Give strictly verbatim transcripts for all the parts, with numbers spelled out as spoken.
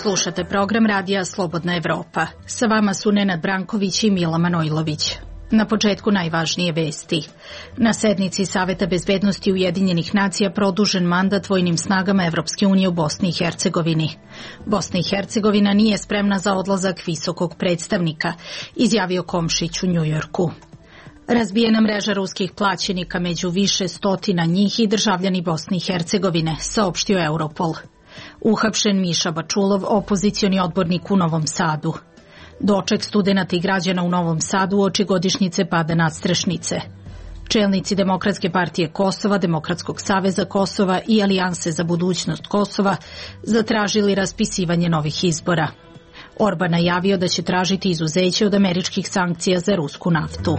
Slušate program radija Slobodna Evropa. Sa vama su Nenad Branković i Mila Manojlović. Na početku najvažnije vesti. Na sednici Saveta bezbednosti Ujedinjenih nacija produžen mandat vojnim snagama Evropske unije u Bosni i Hercegovini. Bosna i Hercegovina nije spremna za odlazak visokog predstavnika, izjavio Komšić u Njujorku. Razbijena mreža ruskih plaćenika među više stotina njih i državljani Bosne i Hercegovine, saopštio Europol. Uhapšen Miša Bačulov, opozicioni odbornik u Novom Sadu. Doček studenata i građana u Novom Sadu uoči godišnjice pada nadstrešnice. Čelnici Demokratske partije Kosova, Demokratskog saveza Kosova i Alijanse za budućnost Kosova zatražili raspisivanje novih izbora. Orban najavio da će tražiti izuzeće od američkih sankcija za rusku naftu.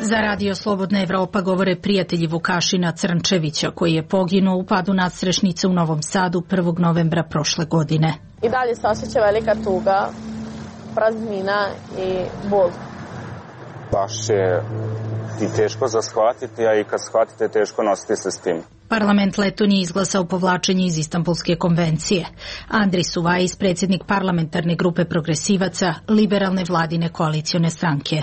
Za Radio Slobodna Evropa govore prijatelji Vukašina Crnčevića, koji je poginuo u padu nadstrešnice u Novom Sadu prvog novembra prošle godine. I dalje se osjeća velika tuga, praznina i bol. Baš je i teško za shvatiti, a i kad shvatite teško nositi se s tim. Parlament Letonije izglasao povlačenje iz Istanbulske konvencije. Andris Suvajis, predsjednik parlamentarne grupe progresivaca, liberalne vladine koalicione stranke.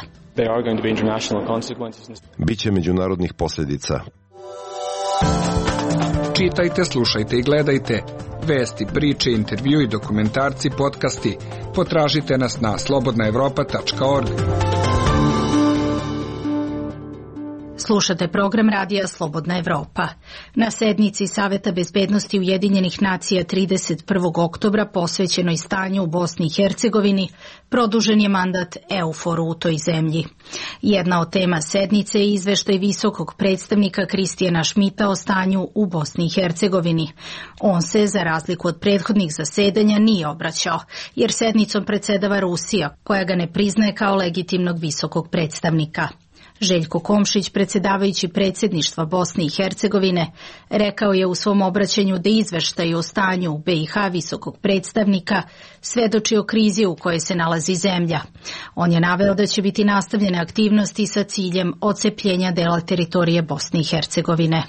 Biće međunarodnih posljedica. Čitajte, slušajte i gledajte vesti, priče, intervju i dokumentarci, podcasti. Potražite nas na slobodna evropa tačka org. Slušate program radija Slobodna Evropa. Na sednici Saveta bezbednosti Ujedinjenih nacija trideset prvog oktobra posvećenoj stanju u Bosni i Hercegovini produžen je mandat EUFOR-u u toj zemlji. Jedna od tema sednice je izveštaj visokog predstavnika Kristijana Šmita o stanju u Bosni i Hercegovini. On se, za razliku od prethodnih zasedanja, nije obraćao, jer sednicom predsedava Rusija, koja ga ne priznaje kao legitimnog visokog predstavnika. Željko Komšić, predsjedavajući predsjedništva Bosne i Hercegovine, rekao je u svom obraćanju da izveštaj o stanju u B i H visokog predstavnika svedoči o krizi u kojoj se nalazi zemlja. On je naveo da će biti nastavljene aktivnosti sa ciljem odcepljenja dela teritorije Bosne i Hercegovine.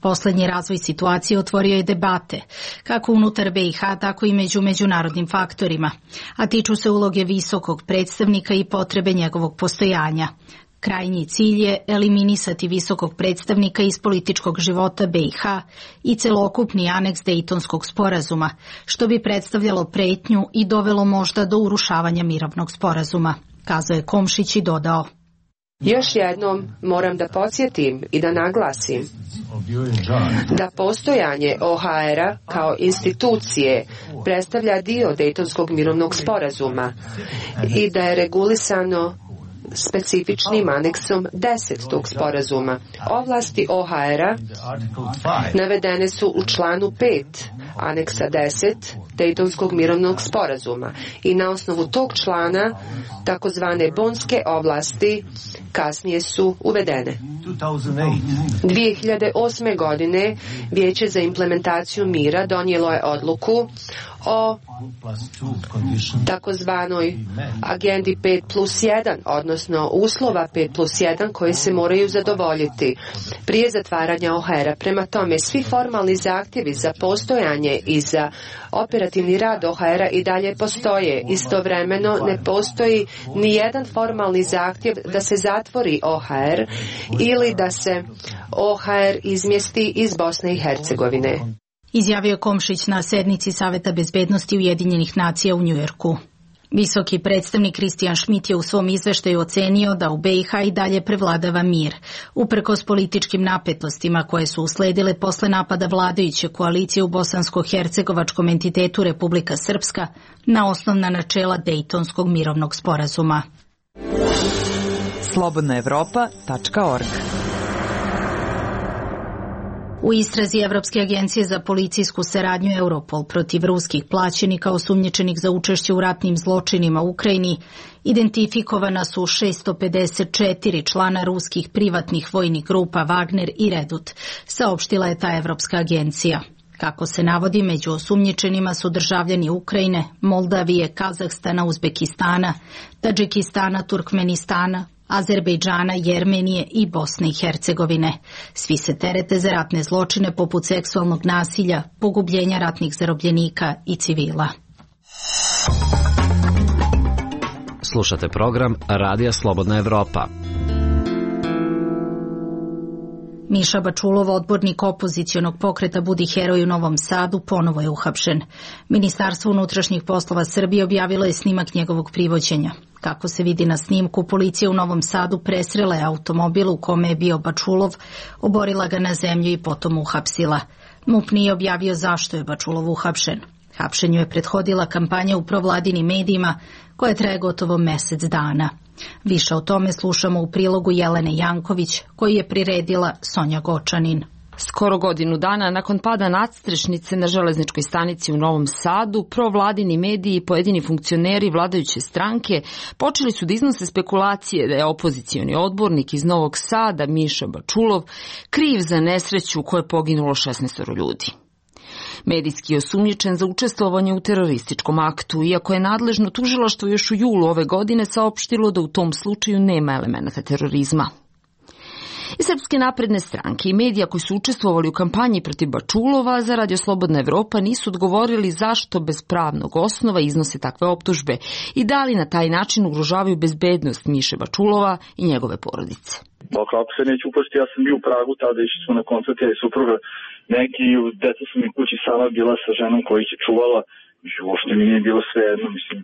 Poslednji razvoj situacije otvorio je debate, kako unutar B i H, tako i među međunarodnim faktorima, a tiču se uloge visokog predstavnika i potrebe njegovog postojanja. Krajnji cilj je eliminisati visokog predstavnika iz političkog života B i H i celokupni aneks Dejtonskog sporazuma, što bi predstavljalo pretnju i dovelo možda do urušavanja mirovnog sporazuma, kazao je Komšić i dodao. Još jednom moram da podsjetim i da naglasim da postojanje O H R-a kao institucije predstavlja dio Dejtonskog mirovnog sporazuma i da je regulisano specifičnim aneksom deset tog sporazuma. Ovlasti O H R-a navedene su u članu pet aneksa deset Dejtonskog mirovnog sporazuma i na osnovu tog člana takozvane bonske ovlasti kasnije su uvedene. dvije hiljade osme. godine Vijeće za implementaciju mira donijelo je odluku o takozvanoj agendi pet plus jedan, odnosno uslova pet plus jedan koji se moraju zadovoljiti prije zatvaranja O H R-a. Prema tome, svi formalni zahtjevi za postojanje i za operativni rad O H R-a i dalje postoje. Istovremeno ne postoji ni jedan formalni zahtjev da se zatvori O H R ili da se O H R izmjesti iz Bosne i Hercegovine. Izjavio Komšić na sednici Saveta bezbednosti Ujedinjenih nacija u Njujorku. Visoki predstavnik Kristijan Šmit je u svom izveštaju ocenio da u B i H i dalje prevladava mir, uprkos političkim napetostima koje su usledile posle napada vladajuće koalicije u bosansko-hercegovačkom entitetu Republika Srpska na osnovna načela Dejtonskog mirovnog sporazuma. slobodna evropa tačka org. U istrazi Evropske agencije za policijsku saradnju Europol protiv ruskih plaćenika osumnjičenih za učešće u ratnim zločinima u Ukrajini identifikovana su šesto pedeset četiri člana ruskih privatnih vojnih grupa Wagner i Redut, saopštila je ta Evropska agencija. Kako se navodi, među osumnjičenima su državljani Ukrajine, Moldavije, Kazahstana, Uzbekistana, Tadžikistana, Turkmenistana, Azerbejdžana, Jermenije i Bosne i Hercegovine. Svi se terete za ratne zločine poput seksualnog nasilja, pogubljenja ratnih zarobljenika i civila. Slušate program Radija Slobodna Evropa. Miša Bačulov, odbornik opozicionog pokreta Budi heroj u Novom Sadu, ponovo je uhapšen. Ministarstvo unutrašnjih poslova Srbije objavilo je snimak njegovog privođenja. Kako se vidi na snimku, policija u Novom Sadu presrela je automobil u kome je bio Bačulov, oborila ga na zemlju i potom uhapsila. MUP nije objavio zašto je Bačulov uhapšen. Hapšenju je prethodila kampanja u provladinim medijima koja traje gotovo mesec dana. Više o tome slušamo u prilogu Jelene Janković, koji je priredila Sonja Gočanin. Skoro godinu dana nakon pada nadstrešnice na železničkoj stanici u Novom Sadu, provladini mediji i pojedini funkcioneri vladajuće stranke počeli su da iznose spekulacije da je opozicioni odbornik iz Novog Sada, Miša Bačulov, kriv za nesreću u kojoj je poginulo šesnaest ljudi. Medijski je osumnjičen za učestvovanje u terorističkom aktu, iako je nadležno tužilaštvo još u julu ove godine saopštilo da u tom slučaju nema elemenata terorizma. I Srpske napredne stranke i medija koji su učestvovali u kampanji protiv Bačulova za Radio Slobodna Evropa nisu odgovorili zašto bez pravnog osnova iznose takve optužbe i da li na taj način ugrožavaju bezbednost Miše Bačulova i njegove porodice. Pa kako se neću upasti, ja sam bio u Pragu tada, išli smo na koncert i supruga, neki deca su mi kući sama bila sa ženom koja ih je čuvala, mislim, uopšte mi nije bilo sve jedno, mislim,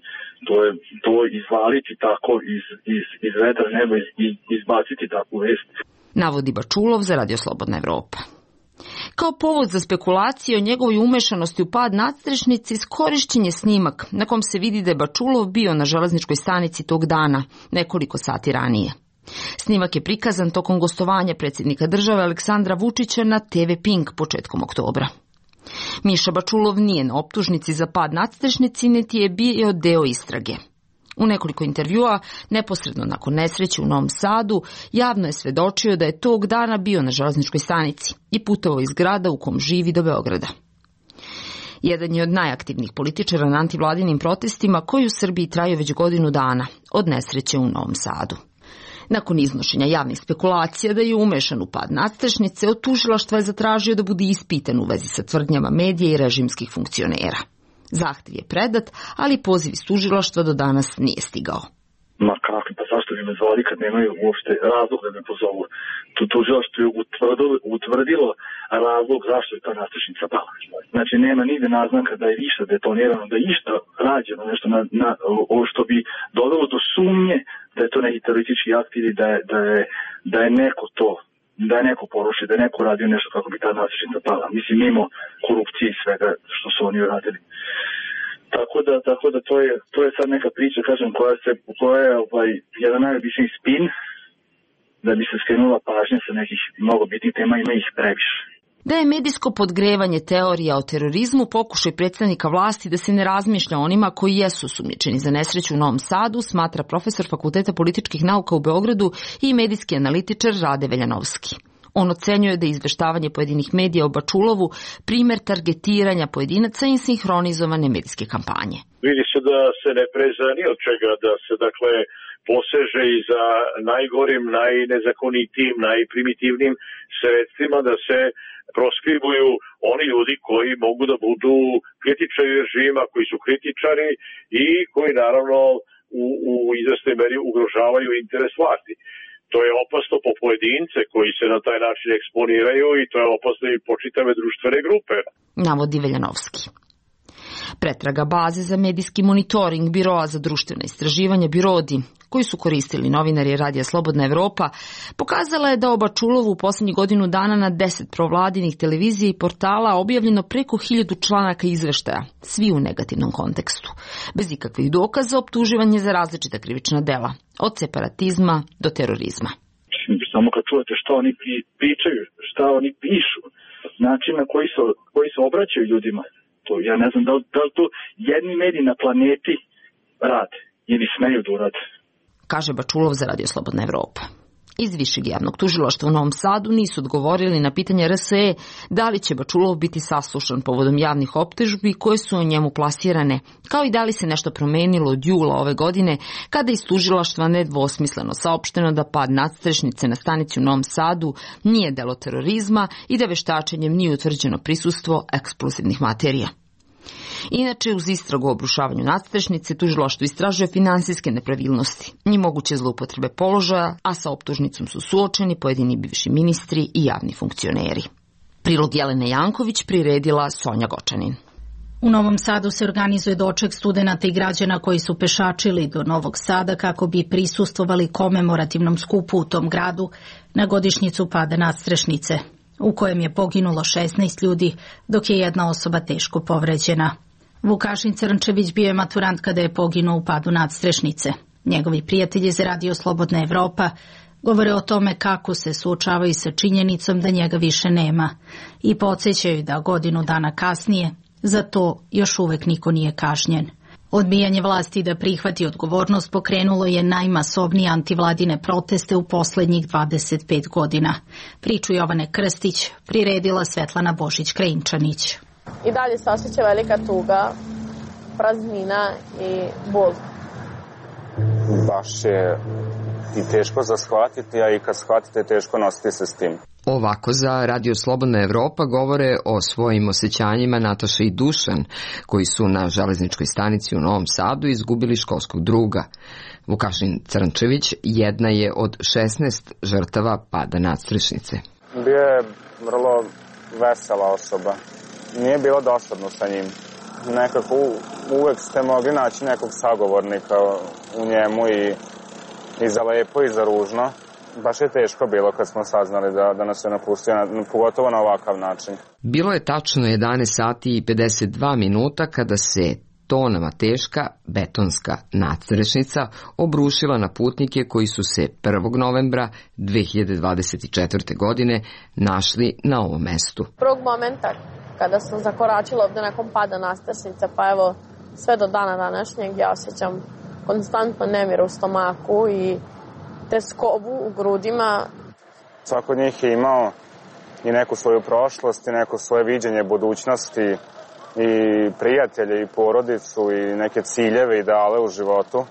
to je to izvaliti tako iz, iz, iz vedra neba i izbaciti takvu vest. Navodi Bačulov za Radio Slobodna Evropa. Kao povod za spekulacije o njegovoj umešanosti u pad nadstrešnice iskorišćen je snimak na kom se vidi da je Bačulov bio na železničkoj stanici tog dana, nekoliko sati ranije. Snimak je prikazan tokom gostovanja predsjednika države Aleksandra Vučića na te ve Pink početkom oktobra. Miša Bačulov nije na optužnici za pad nadstrešnici, niti je bio deo istrage. U nekoliko intervjua, neposredno nakon nesreće u Novom Sadu, javno je svedočio da je tog dana bio na železničkoj stanici i putovao iz grada u kom živi do Beograda. Jedan je od najaktivnijih političara na antivladinim protestima koji u Srbiji traju već godinu dana, od nesreće u Novom Sadu. Nakon iznošenja javnih spekulacija da je umešan u pad nadstrešnice, od tužilaštva je zatražio da bude ispitan u vezi sa tvrdnjama medija i režimskih funkcionera. Zahtev je predat, ali poziv iz tužilaštva do danas nije stigao. Ma kako, pa zašto bi me zvali kad nemaju uopšte razlog da me pozovu? Tu tužilaštvo je utvrdilo, utvrdilo razlog zašto je ta nadstrešnica pala. Znači nema nigde naznaka da je išta detonirano, da je išta rađeno, nešto na, na, o, što bi dovelo do sumnje da je to neki teroristički akt ili da je, da je, da je neko to, da je neko porušio, da je neko radio nešto kako bi ta nadstrešnica pala. Mislim, mimo korupcije i svega što su oni uradili. Tako da, tako da to je, to je sad neka priča, kažem, koja se, koja je ovaj, jedan najobičniji spin, da bi se skrenula pažnja sa nekih mnogo bitnih tema, ima ih previše. Da je medijsko podgrevanje teorija o terorizmu pokušaj predstavnika vlasti da se ne razmišlja onima koji jesu sumnjičeni za nesreću u Novom Sadu, smatra profesor Fakulteta političkih nauka u Beogradu i medijski analitičar Rade Veljanovski. On ocenjuje da je izveštavanje pojedinih medija o Bačulovu primer targetiranja pojedinaca i sinhronizovane medijske kampanje. Vidi se da se ne preza ni od čega, da se dakle poseže i za najgorim, najnezakonitijim, najprimitivnim sredstvima, da se proskribuju oni ljudi koji mogu da budu kritičari režima, koji su kritičari i koji naravno u, u izvesnoj meri ugrožavaju interes vlasti. To je opasno po pojedince koji se na taj način eksponiraju i to je opasno i po čitave društvene grupe. Navodi Veljanovski. Pretraga baze za medijski monitoring Biroa za društvene istraživanja Birodi, koji su koristili novinari Radija Slobodna Evropa, pokazala je da o Bačulovu u posljednjih godinu dana na deset provladinih televizija i portala objavljeno preko hiljadu članaka izveštaja, svi u negativnom kontekstu, bez ikakvih dokaza optuživanje za različita krivična dela, od separatizma do terorizma. Samo kad čujete šta oni pričaju, šta oni pišu, način na koji se, koji se obraćaju ljudima, to ja ne znam da li, da li to jedni mediji na planeti rade ili smeju da urade. Kaže Bačulov za Radio Slobodna Evropa. Iz Višeg javnog tužilaštva u Novom Sadu nisu odgovorili na pitanje R S E da li će Bačulov biti saslušan povodom javnih optužbi koje su o njemu plasirane, kao i da li se nešto promenilo od jula ove godine kada iz tužilaštva nedvosmisleno saopšteno da pad nadstrešnice na stanici u Novom Sadu nije delo terorizma i da veštačenjem nije utvrđeno prisustvo eksplozivnih materija. Inače, uz istragu o obrušavanju nadstrešnice, tužilaštvo istražuje finansijske nepravilnosti i moguće zloupotrebe položaja, a sa optužnicom su suočeni pojedini bivši ministri i javni funkcioneri. Prilog Jelene Janković priredila Sonja Gočanin. U Novom Sadu se organizuje doček studenata i građana koji su pešačili do Novog Sada kako bi prisustvovali komemorativnom skupu u tom gradu na godišnjicu pada nadstrešnice, u kojem je poginulo šesnaest ljudi, dok je jedna osoba teško povređena. Vukašin Crnčević bio je maturant kada je poginuo u padu nadstrešnice. Njegovi prijatelji za Radio Slobodna Evropa govore o tome kako se suočavaju sa činjenicom da njega više nema i podsjećaju da godinu dana kasnije za to još uvek niko nije kažnjen. Odbijanje vlasti da prihvati odgovornost pokrenulo je najmasovnije antivladine proteste u poslednjih dvadeset pet godina. Priču Jovane Krstić priredila Svetlana Božić-Krajinčanić. I dalje se osjeća velika tuga, praznina i bol. Baš je i teško za shvatiti, a i kad shvatite teško nositi se s tim. Ovako za Radio Slobodna Evropa govore o svojim osjećanjima Nataša i Dušan, koji su na železničkoj stanici u Novom Sadu izgubili školskog druga. Vukašin Crnčević jedna je od šesnaest žrtava pada nadstrešnice. Bio je vrlo vesela osoba. Nije bilo dosadno sa njim. Nekako uvek ste mogli naći nekog sagovornika u njemu i, i za lepo i za ružno. Baš je teško bilo kad smo saznali da, da nas je napustio, pogotovo na ovakav način. Bilo je tačno jedanaest sati i pedeset dva minuta kada se tonama teška betonska nadstrešnica obrušila na putnike koji su se prvog novembra dve hiljade dvadeset četvrte. godine našli na ovom mestu. Prvog momenta kada sam zakoračila ovde nakon pada nadstrešnice, pa evo sve do dana današnjeg ja osjećam konstantno nemir u stomaku i teskobu u grudima. Svako od njih je imao i neku svoju prošlost i neko svoje viđenje budućnosti i prijatelje i porodicu i neke ciljeve, ideale u životu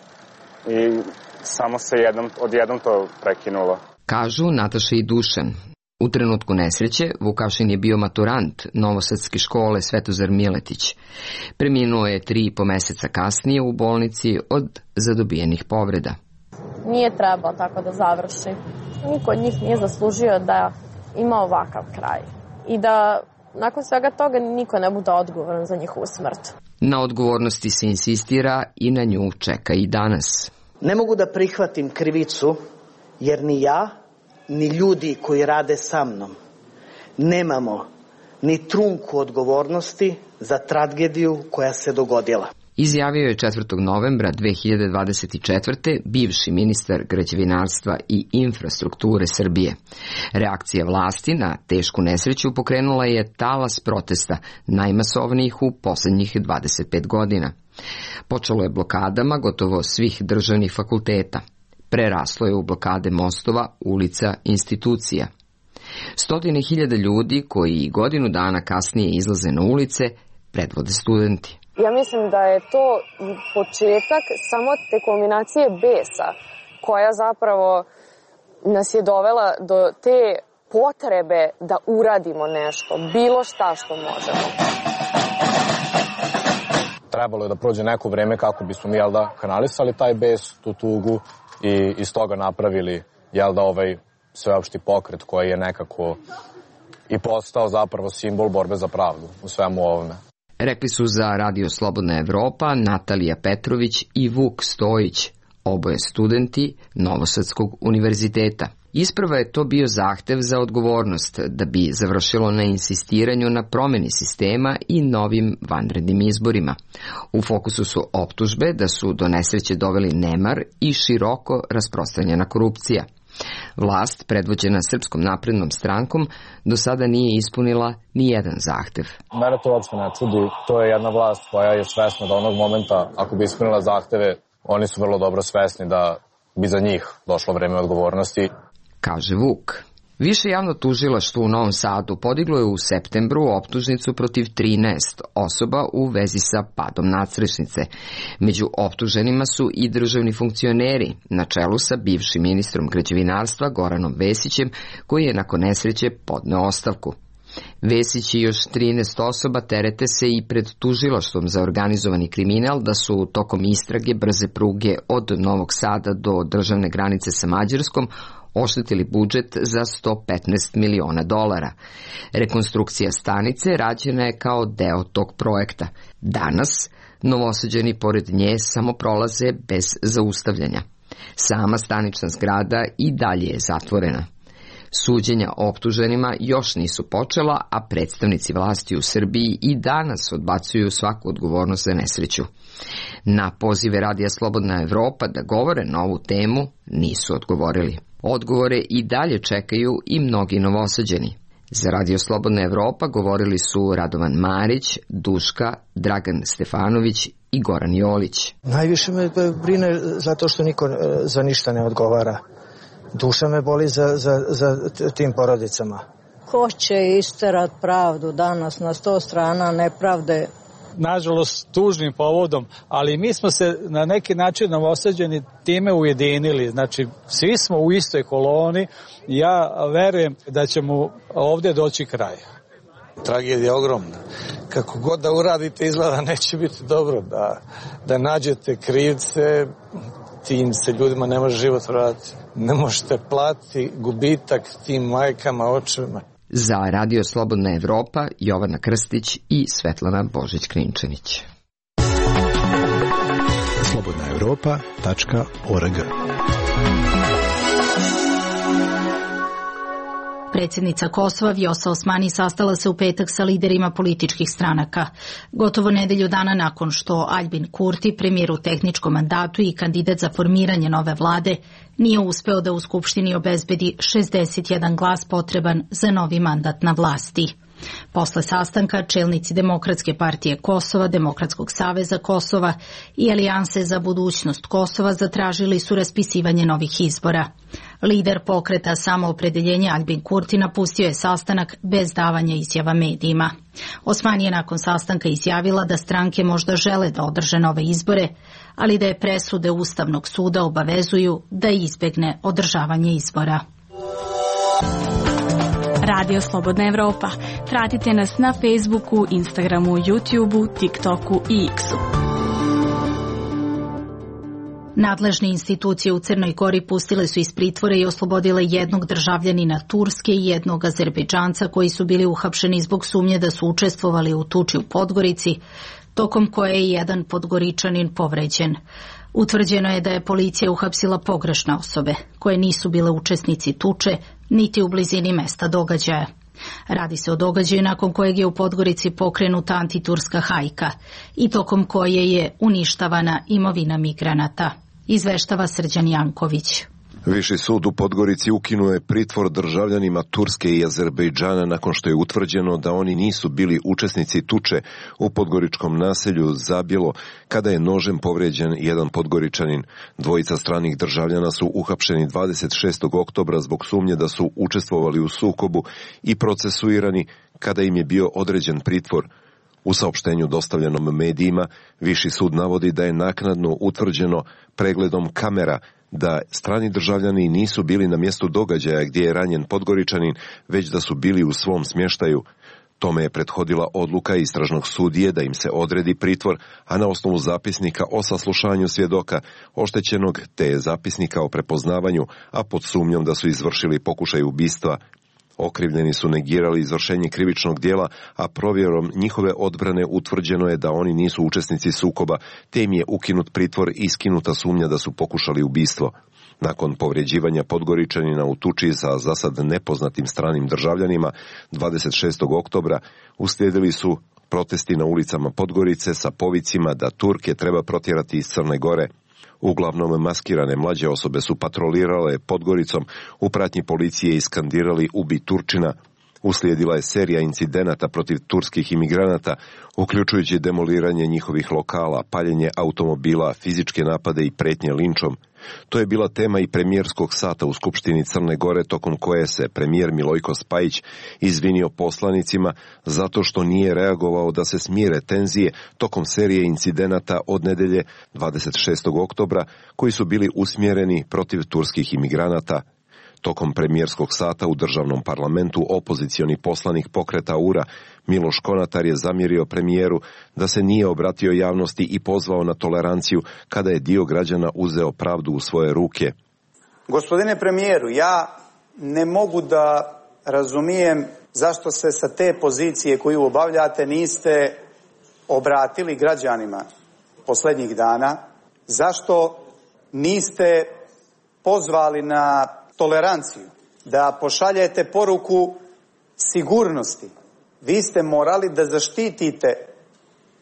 i samo se jednom, odjednom to prekinulo. Kažu Nataša i Dušan. U trenutku nesreće Vukašin je bio maturant Novosadske škole Svetozar Miletić. Preminuo je tri i po meseca kasnije u bolnici od zadobijenih povreda. Nije trebao tako da završi. Niko od njih nije zaslužio da ima ovakav kraj. I da nakon svega toga niko ne bude odgovoran za njihovu smrt. Na odgovornosti se insistira i na nju čeka i danas. Ne mogu da prihvatim krivicu jer ni ja, ni ljudi koji rade sa mnom nemamo ni trunku odgovornosti za tragediju koja se dogodila. Izjavio je četvrtog novembra dve hiljade dvadeset četvrte. bivši ministar građevinarstva i infrastrukture Srbije. Reakcija vlasti na tešku nesreću pokrenula je talas protesta, najmasovnijih u poslednjih dvadeset pet godina. Počelo je blokadama gotovo svih državnih fakulteta. Preraslo je u blokade mostova, ulica, institucija. Stotine hiljada ljudi koji godinu dana kasnije izlaze na ulice predvode studenti. Ja mislim da je to početak samo te kombinacije besa koja zapravo nas je dovela do te potrebe da uradimo nešto, bilo šta što možemo. Trebalo je da prođe neko vreme kako bismo mi, jel da, kanalisali taj bes, tu tugu i iz toga napravili, jel da, ovaj sveopšti pokret koji je nekako i postao zapravo simbol borbe za pravdu u svemu ovome. Rekli su za Radio Slobodna Evropa Natalija Petrović i Vuk Stojić, oboje studenti Novosadskog univerziteta. Isprva je to bio zahtev za odgovornost, da bi završilo na insistiranju na promeni sistema i novim vanrednim izborima. U fokusu su optužbe da su do nesreće doveli nemar i široko rasprostranjena korupcija. Vlast, predvođena Srpskom naprednom strankom, do sada nije ispunila ni jedan zahtev. Mene to uopšte ne čudi. To je jedna vlast koja je svesna da onog momenta, ako bi ispunila zahteve, oni su vrlo dobro svesni da bi za njih došlo vreme odgovornosti. kaže Vuk. Više javno tužilaštvo u Novom Sadu podiglo je u septembru optužnicu protiv trinaest osoba u vezi sa padom nadstrešnice. Među optuženima su i državni funkcioneri, na čelu sa bivšim ministrom građevinarstva Goranom Vesićem, koji je nakon nesreće podneo ostavku. Vesić i još trinaest osoba terete se i pred tužilaštvom za organizovani kriminal da su tokom istrage brze pruge od Novog Sada do državne granice sa Mađarskom oštetili budžet za sto petnaest miliona dolara. Rekonstrukcija stanice rađena je kao deo tog projekta. Danas Novosađani pored nje samo prolaze bez zaustavljanja. Sama stanična zgrada i dalje je zatvorena. Suđenja optuženima još nisu počela, a predstavnici vlasti u Srbiji i danas odbacuju svaku odgovornost za nesreću. Na pozive Radija Slobodna Evropa da govore na ovu temu nisu odgovorili. Odgovore i dalje čekaju i mnogi Novosađani. Za Radio Slobodna Evropa govorili su Radovan Marić, Duška, Dragan Stefanović i Goran Jolić. Najviše me brine zato što niko za ništa ne odgovara. Duša me boli za, za, za tim porodicama. Ko će isterat pravdu danas na sto strana nepravde? Nažalost, tužnim povodom, ali mi smo se na neki način Novosađani time ujedinili. Znači, svi smo u istoj koloni i ja verujem da ćemo ovdje doći kraj. Tragedija je ogromna. Kako god da uradite, izgleda neće biti dobro. Da, da nađete krivce, tim se ljudima ne može život vratiti. Ne možete platiti gubitak tim majkama, očevima. Za Radio Slobodna Evropa, Jovana Krstić i Svetlana Božić-Klinčanić. slobodna evropa tačka org. Predsjednica Kosova Vjosa Osmani sastala se u petak sa liderima političkih stranaka. Gotovo nedelju dana nakon što Aljbin Kurti, premijer u tehničkom mandatu i kandidat za formiranje nove vlade, nije uspeo da u Skupštini obezbedi šezdeset jedan glas potreban za novi mandat na vlasti. Posle sastanka čelnici Demokratske partije Kosova, Demokratskog saveza Kosova i Alijanse za budućnost Kosova zatražili su raspisivanje novih izbora. Lider pokreta Samoopredeljenje Aljbin Kurti napustio je sastanak bez davanja izjava medijima. Osmani je nakon sastanka izjavila da stranke možda žele da održe nove izbore, ali da je presude Ustavnog suda obavezuju da izbegne održavanje izbora. Radio Slobodna Evropa. Pratite nas na Facebooku, Instagramu, YouTubeu, TikToku i X-u. Nadležne institucije u Crnoj Gori pustile su iz pritvora i oslobodile jednog državljanina Turske i jednog Azerbejdžanca koji su bili uhapšeni zbog sumnje da su učestvovali u tuči u Podgorici, tokom koje je jedan Podgoričanin povređen. Utvrđeno je da je policija uhapsila pogrešne osobe, koje nisu bile učesnici tuče, niti u blizini mesta događaja. Radi se o događaju nakon kojeg je u Podgorici pokrenuta antiturska hajka i tokom koje je uništavana imovina migranata, izveštava Srđan Janković. Viši sud u Podgorici ukinuo je pritvor državljanima Turske i Azerbejdžana nakon što je utvrđeno da oni nisu bili učesnici tuče u podgoričkom naselju Zabjelo kada je nožem povrijeđen jedan Podgoričanin. Dvojica stranih državljana su uhapšeni dvadeset šestog oktobra zbog sumnje da su učestvovali u sukobu i procesuirani kada im je bio određen pritvor. U saopštenju dostavljenom medijima, Viši sud navodi da je naknadno utvrđeno pregledom kamera da strani državljani nisu bili na mjestu događaja gdje je ranjen Podgoričanin, već da su bili u svom smještaju. Tome je prethodila odluka istražnog sudije da im se odredi pritvor, a na osnovu zapisnika o saslušanju svjedoka oštećenog te zapisnika o prepoznavanju, a pod sumnjom da su izvršili pokušaj ubistva. Okrivljeni su negirali izvršenje krivičnog dijela, a provjerom njihove odbrane utvrđeno je da oni nisu učesnici sukoba, te im je ukinut pritvor i skinuta sumnja da su pokušali ubistvo. Nakon povređivanja Podgoričanina u tuči sa zasad nepoznatim stranim državljanima, dvadeset šestog oktobra uslijedili su protesti na ulicama Podgorice sa povicima da Turke treba protjerati iz Crne Gore. Uglavnom maskirane mlađe osobe su patrolirale Podgoricom, u pratnji policije iskandirali ubi Turčina. Uslijedila je serija incidenata protiv turskih imigranata, uključujući demoliranje njihovih lokala, paljenje automobila, fizičke napade i pretnje linčom. To je bila tema i premijerskog sata u Skupštini Crne Gore, tokom koje se premijer Milojko Spajić izvinio poslanicima zato što nije reagovao da se smire tenzije tokom serije incidenata od nedelje dvadeset šestog oktobra koji su bili usmjereni protiv turskih imigranata. Tokom premijerskog sata u državnom parlamentu opozicioni poslanik pokreta U R A Miloš Konatar je zamjerio premijeru da se nije obratio javnosti i pozvao na toleranciju kada je dio građana uzeo pravdu u svoje ruke. Gospodine premijeru, ja ne mogu da razumijem zašto se sa te pozicije koju obavljate niste obratili građanima posljednjih dana, zašto niste pozvali na toleranciju, da pošaljete poruku sigurnosti. Vi ste morali da zaštitite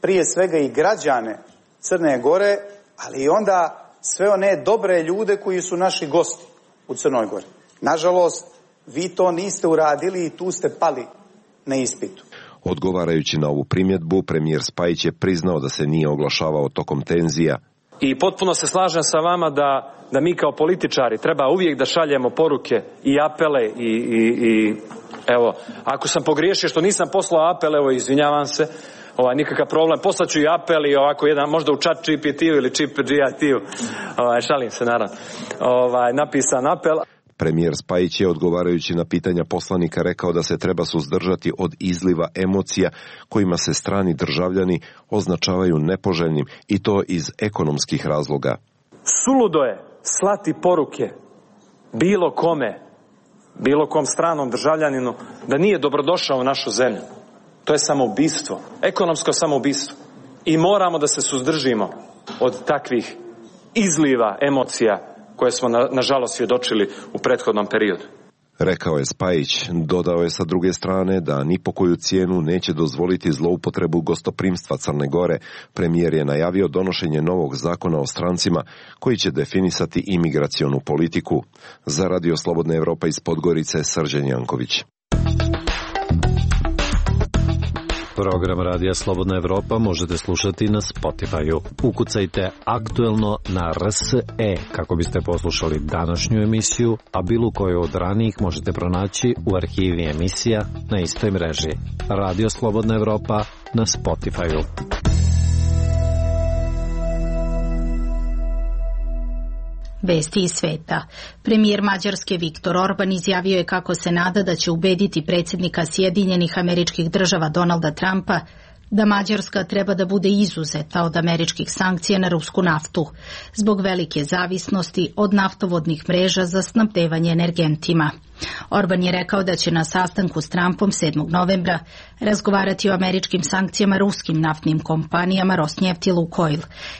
prije svega i građane Crne Gore, ali i onda sve one dobre ljude koji su naši gosti u Crnoj Gori. Nažalost, vi to niste uradili i tu ste pali na ispitu. Odgovarajući na ovu primjedbu, premijer Spajić je priznao da se nije oglašavao tokom tenzija. I potpuno se slažem sa vama da, da mi kao političari treba uvijek da šaljemo poruke i apele i, i, i evo, ako sam pogriješio što nisam poslao apel, evo izvinjavam se, ovaj, nikakav problem, poslaću i apel i ovako jedan, možda u chat G P T-u ili Chip G I T-u, ovaj, šalim se naravno, ovaj, napisan apel. Premijer Spajić je odgovarajući na pitanja poslanika rekao da se treba suzdržati od izliva emocija kojima se strani državljani označavaju nepoželjnim i to iz ekonomskih razloga. Suludo je slati poruke bilo kome, bilo kom stranom državljaninu da nije dobrodošao u našu zemlju. To je samoubistvo, ekonomsko samoubistvo. I moramo da se suzdržimo od takvih izliva emocija koje smo na, nažalost svjedočili u prethodnom periodu. Rekao je Spajić. Dodao je sa druge strane da ni po koju cijenu neće dozvoliti zloupotrebu gostoprimstva Crne Gore. Premijer je najavio donošenje novog zakona o strancima koji će definisati imigracionu politiku. Za Radio Slobodna Evropa iz Podgorice, Srđan Janković. Program Radija Slobodna Evropa možete slušati na Spotify-u. Ukucajte aktuelno na R S E kako biste poslušali današnju emisiju, a bilo koju od ranijih možete pronaći u arhivi emisija na istoj mreži. Radio Slobodna Evropa na Spotify-u. Vesti iz sveta. Premijer Mađarske Viktor Orban izjavio je kako se nada da će ubediti predsjednika Sjedinjenih Američkih Država Donalda Trumpa da Mađarska treba da bude izuzeta od američkih sankcija na rusku naftu zbog velike zavisnosti od naftovodnih mreža za snabdevanje energentima. Orban je rekao da će na sastanku s Trumpom sedmog novembra razgovarati o američkim sankcijama ruskim naftnim kompanijama Rosneft i Lukoil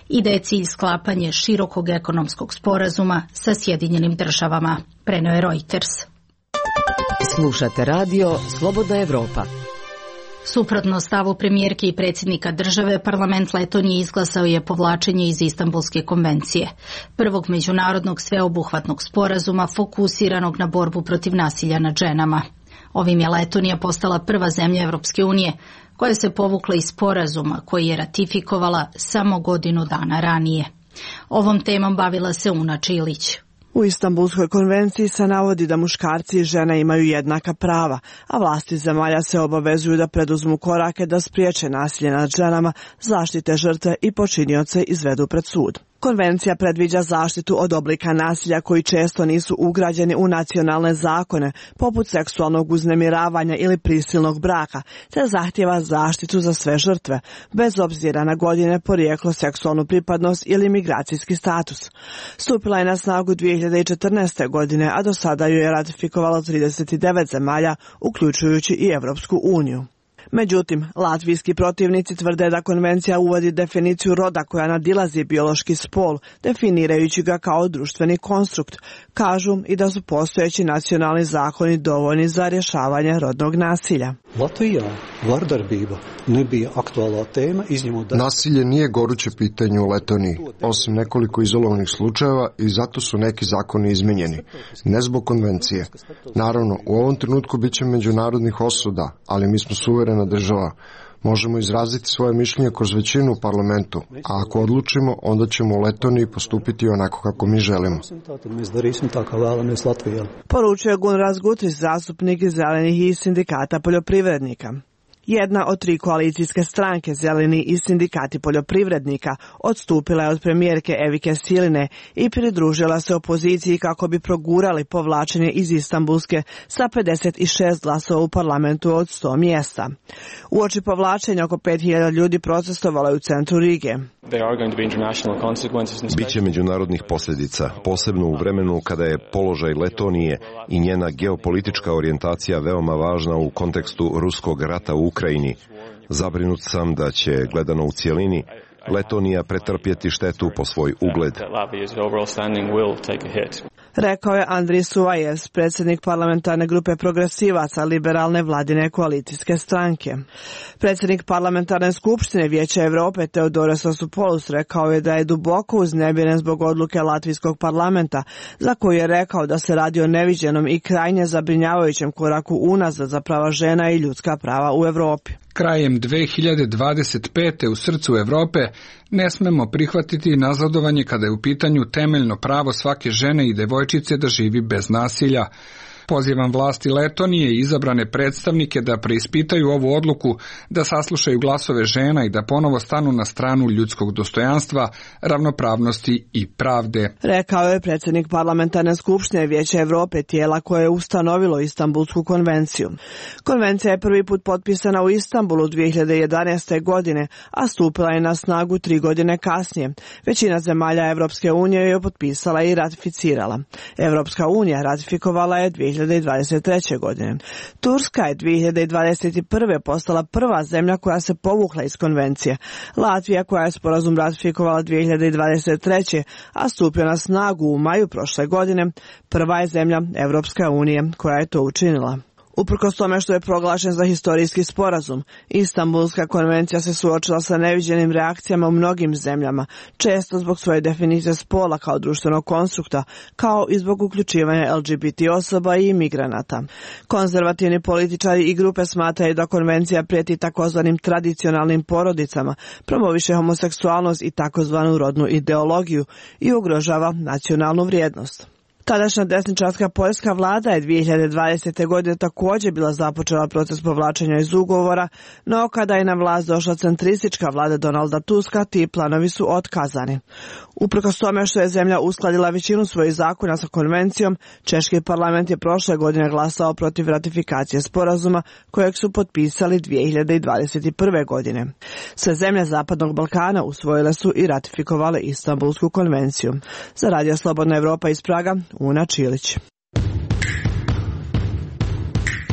i da je cilj sklapanje širokog ekonomskog sporazuma sa Sjedinjenim Državama, preneo je Reuters. Slušate radio Slobodna Evropa. Suprotno stavu premijerke i predsjednika države, parlament Letonije izglasao je povlačenje iz Istanbulske konvencije, prvog međunarodnog sveobuhvatnog sporazuma fokusiranog na borbu protiv nasilja nad ženama. Ovim je Letonija postala prva zemlja Evropske unije koja se povukla iz sporazuma koji je ratifikovala samo godinu dana ranije. Ovom temom bavila se Una Čilić. U Istanbulskoj konvenciji se navodi da muškarci i žene imaju jednaka prava, a vlasti zemalja se obavezuju da preduzmu korake da spriječe nasilje nad ženama, zaštite žrtve i počinioce izvedu pred sud. Konvencija predviđa zaštitu od oblika nasilja koji često nisu ugrađeni u nacionalne zakone, poput seksualnog uznemiravanja ili prisilnog braka, te zahtjeva zaštitu za sve žrtve, bez obzira na godine, porijeklo, seksualnu pripadnost ili migracijski status. Stupila je na snagu dvije hiljade četrnaeste. godine, a do sada ju je ratifikovalo trideset devet zemalja, uključujući i Evropsku uniju. Međutim, latvijski protivnici tvrde da konvencija uvodi definiciju roda koja nadilazi biološki spol, definirajući ga kao društveni konstrukt. Kažu i da su postojeći nacionalni zakoni dovoljni za rješavanje rodnog nasilja. Latvijā vardarbība nebija aktuālā tēma, izņemot... Nasilje nije goruće pitanje u Letoniji, osim nekoliko izolovanih slučajeva, i zato su neki zakoni izmenjeni, ne zbog konvencije. Naravno, u ovom trenutku bit će međunarodnih osuda, ali mi smo suverena država. Možemo izraziti svoje mišljenje kroz većinu u parlamentu, a ako odlučimo, onda ćemo u Letoniji postupiti onako kako mi želimo. Poručuje Gunnar Gutris, zastupnik iz Zelenih i sindikata poljoprivrednika. Jedna od tri koalicijske stranke, Zeleni i sindikati poljoprivrednika, odstupila je od premijerke Evike Siline i pridružila se opoziciji kako bi progurali povlačenje iz Istanbulske sa pedeset šest glasova u parlamentu od sto mjesta. Uoči povlačenja oko pet hiljada ljudi protestovalo je u centru Rige. Biće međunarodnih posljedica, posebno u vremenu kada je položaj Letonije i njena geopolitička orijentacija veoma važna u kontekstu ruskog rata u Ukrajini. Zabrinut sam da će, gledano u cijelini, Letonija pretrpjeti štetu po svoj ugled. Rekao je Andri Suvajes, predsjednik parlamentarne grupe progresivaca liberalne vladine koalicijske stranke. Predsjednik parlamentarne skupštine Vijeća Europe Teodoros Osupoulos rekao je da je duboko uznemiren zbog odluke Latvijskog parlamenta, za koju je rekao da se radi o neviđenom i krajnje zabrinjavajućem koraku unazad za prava žena i ljudska prava u Europi. Krajem dve hiljade dvadeset pete u srcu Europe ne smemo prihvatiti nazadovanje kada je u pitanju temeljno pravo svake žene i devojčice da živi bez nasilja. Pozivam vlasti Letonije i izabrane predstavnike da preispitaju ovu odluku, da saslušaju glasove žena i da ponovo stanu na stranu ljudskog dostojanstva, ravnopravnosti i pravde. Rekao je predsjednik parlamentarne skupštine Vijeća Europe, tijela koje je ustanovilo Istanbulsku konvenciju. Konvencija je prvi put potpisana u Istanbulu dvije hiljade jedanaeste. godine, a stupila je na snagu tri godine kasnije. Većina zemalja Europske unije je potpisala i ratificirala. Europska unija ratifikovala je dvije hiljade dvadeset treće. godine. Turska je dvije hiljade dvadeset prve. postala prva zemlja koja se povukla iz konvencije. Latvija, koja je sporazum ratifikovala dvije hiljade dvadeset treće. a stupio na snagu u maju prošle godine, prva je zemlja Europske unije koja je to učinila. Uprkos tome što je proglašen za historijski sporazum, Istanbulska konvencija se suočila sa neviđenim reakcijama u mnogim zemljama, često zbog svoje definicije spola kao društvenog konstrukta, kao i zbog uključivanja L G B T osoba i imigranata. Konzervativni političari i grupe smatraju da konvencija prijeti takozvanim tradicionalnim porodicama, promoviše homoseksualnost i takozvanu rodnu ideologiju i ugrožava nacionalnu vrijednost. Tadašnja desničarska poljska vlada je dvije hiljade dvadesete. godine također bila započela proces povlačenja iz ugovora, no kada je na vlast došla centristička vlada Donalda Tuska, ti planovi su otkazani. Uprkos tome što je zemlja uskladila većinu svojih zakona sa konvencijom, Češki parlament je prošle godine glasao protiv ratifikacije sporazuma kojeg su potpisali dvije hiljade dvadeset prve. godine. Sve zemlje Zapadnog Balkana usvojile su i ratifikovale Istanbulsku konvenciju. Za Radio Slobodna Evropa iz Praga, Una Čilić.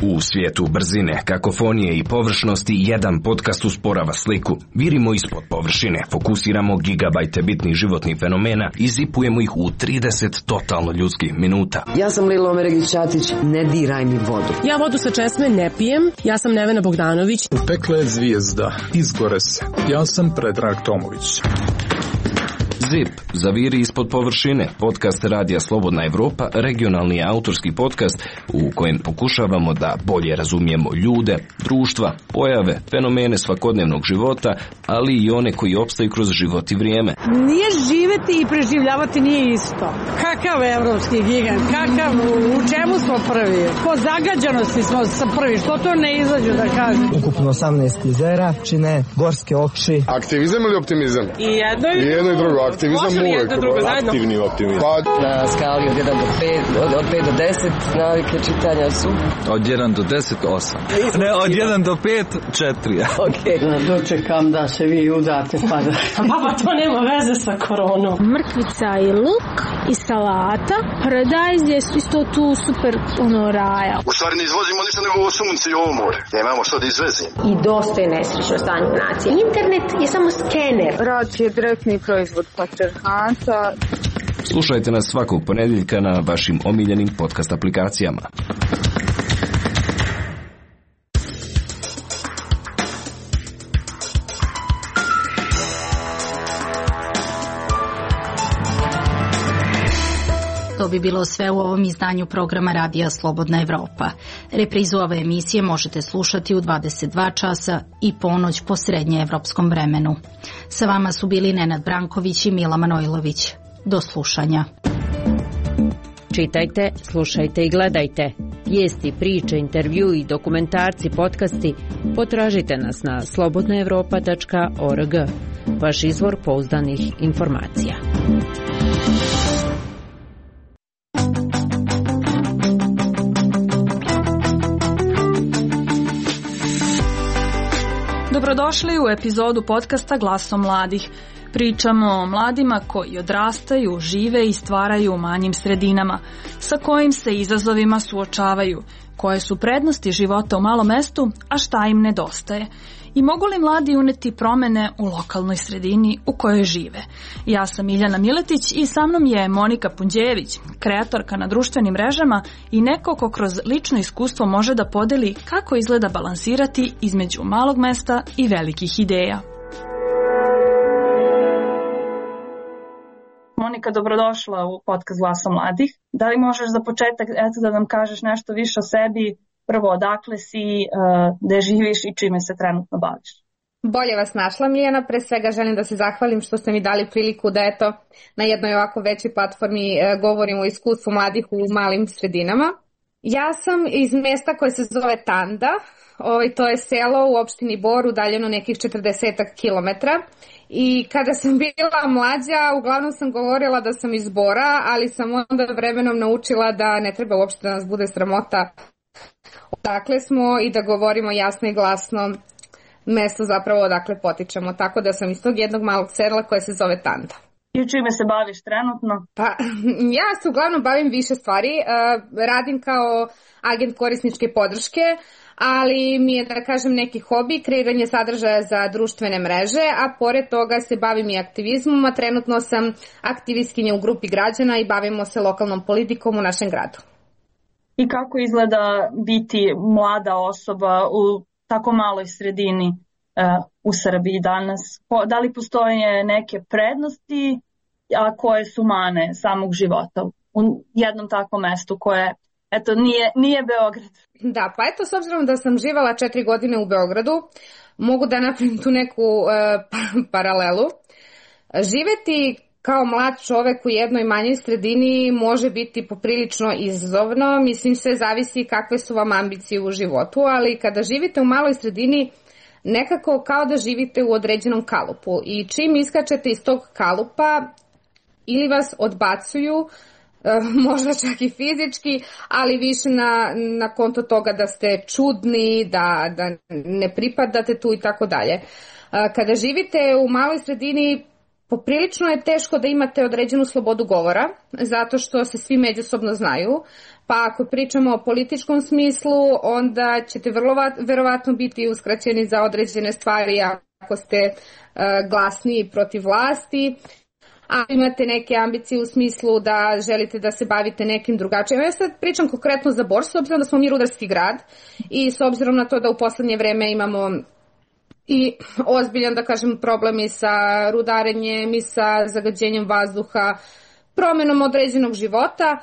U svijetu brzine, kakofonije i površnosti jedan podcast usporava sliku. Virimo ispod površine, fokusiramo gigabajte bitnih životnih fenomena i zipujemo ih u trideset totalno ljudskih minuta. Ja sam Lila Omeregić-Ćatić, ne diraj mi vodu. Ja vodu sa česme ne pijem, ja sam Nevena Bogdanović. Upekla je zvijezda, izgore se. Ja sam Predrag Tomović. Zip, zaviri ispod površine, podcast Radija Slobodna Evropa, regionalni autorski podcast u kojem pokušavamo da bolje razumijemo ljude, društva, pojave, fenomene svakodnevnog života, ali i one koji opstaju kroz život i vrijeme. Nije živeti i preživljavati nije isto. Kakav evropski gigant, kakav, u čemu smo prvi? Po zagađanosti smo sa prvi, što to ne izađu da kažem? Ukupno osamnaest jezera čine gorske oči. Aktivizam ili optimizam? I jedno i, I jedno i drugo. optimizam uvek. Aktivni optimizam. Na skali od jedan do pet, od, od pet do deset, navike čitanja su? Od jedan do deset, osam. Ne, od jedan do pet, četiri. Okay. Dočekam da se vi udate pa da... Baba, to nema veze sa koronom. Mrkvica i luk i salata. Paradajz je isto tu super ono raja. U stvari ne izvozimo ništa nego ovo sunce i ovo more. Nemamo što da izvezimo. I dosta je nesrećno stanje nacije. Internet je samo skener. Rat je direktni proizvod patriarhata. Slušajte nas svakog ponedjeljka na vašim omiljenim podcast aplikacijama. To bi bilo sve u ovom izdanju programa Radija Slobodna Evropa. Reprizu ove emisije možete slušati u dvadeset dva časa i ponoć po srednjeevropskom vremenu. Sa vama su bili Nenad Branković i Mila Manojlović. Do slušanja. Čitajte, slušajte i gledajte. Vijesti, priče, intervju i dokumentarci, podcasti potražite nas na slobodna evropa tačka org. Vaš izvor pouzdanih informacija. Dobrodošli u epizodu podcasta Glasom mladih. Pričamo o mladima koji odrastaju, žive i stvaraju u manjim sredinama, sa kojim se izazovima suočavaju, koje su prednosti života u malom mestu, a šta im nedostaje. I mogu li mladi uneti promene u lokalnoj sredini u kojoj žive? Ja sam Miljana Miletić i sa mnom je Monika Punđejević, kreatorka na društvenim mrežama i neko ko kroz lično iskustvo može da podeli kako izgleda balansirati između malog mesta i velikih ideja. Monika, dobrodošla u podcast Glasa mladih. Da li možeš za početak eto, da nam kažeš nešto više o sebi? Prvo, odakle si, gde živiš i čime se trenutno baviš? Bolje vas našla, Miljana. Pre svega želim da se zahvalim što ste mi dali priliku da eto, na jednoj ovako većoj platformi govorim o iskustvu mladih u malim sredinama. Ja sam iz mjesta koje se zove Tanda. Ovaj, to je selo u opštini Bor, udaljeno nekih četrdesetak kilometara. I kada sam bila mlađa, uglavnom sam govorila da sam iz Bora, ali sam onda vremenom naučila da ne treba uopšte da nas bude sramota odakle smo i da govorimo jasno i glasno mesto zapravo odakle potičemo. Tako da sam iz tog jednog malog sela koje se zove Tanda. I čime se baviš trenutno? Pa, ja se uglavnom bavim više stvari. Radim kao agent korisničke podrške, ali mi je, da kažem, neki hobi, kreiranje sadržaja za društvene mreže, a pored toga se bavim i aktivizmom, a trenutno sam aktivistkinja u grupi građana i bavimo se lokalnom politikom u našem gradu. I kako izgleda biti mlada osoba u tako maloj sredini uh, u Srbiji danas? Da li postoje neke prednosti, a koje su mane samog života u jednom takvom mestu koje, eto, nije, nije Beograd? Da, pa eto, s obzirom da sam živala četiri godine u Beogradu, mogu da napravim tu neku uh, paralelu. Živeti kao mlad čovek u jednoj manjoj sredini može biti poprilično izazovno, mislim sve zavisi kakve su vam ambicije u životu, ali kada živite u maloj sredini nekako kao da živite u određenom kalupu i čim iskačete iz tog kalupa ili vas odbacuju, možda čak i fizički, ali više na, na konto toga da ste čudni, da, da ne pripadate tu i tako dalje. Kada živite u maloj sredini, poprilično je teško da imate određenu slobodu govora, zato što se svi međusobno znaju, pa ako pričamo o političkom smislu, onda ćete vrlo verovatno biti uskraćeni za određene stvari ako ste uh, glasni protiv vlasti, a imate neke ambicije u smislu da želite da se bavite nekim drugačijim. Ja sad pričam konkretno za Bor, s obzirom da smo mi rudarski grad i s obzirom na to da u poslednje vreme imamo i ozbiljan, da kažem, problem i sa rudarenjem i sa zagađenjem vazduha, promenom određenog života.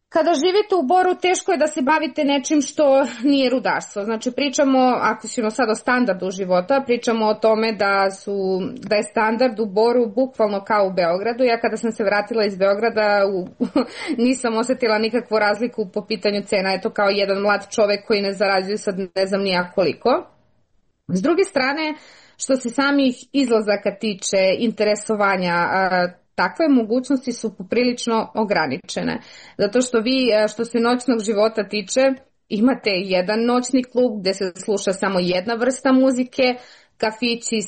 Kada živite u Boru, teško je da se bavite nečim što nije rudarstvo. Znači, pričamo, ako ćemo sad o standardu života, pričamo o tome da, su, da je standard u Boru bukvalno kao u Beogradu. Ja kada sam se vratila iz Beograda, u, nisam osetila nikakvu razliku po pitanju cena. Eto, kao jedan mlad čovek koji ne zarađuje sad ne znam nija koliko. S druge strane, što se samih izlazaka tiče, interesovanja, takve mogućnosti su poprilično ograničene. Zato što vi, što se noćnog života tiče, imate jedan noćni klub gde se sluša samo jedna vrsta muzike, kafići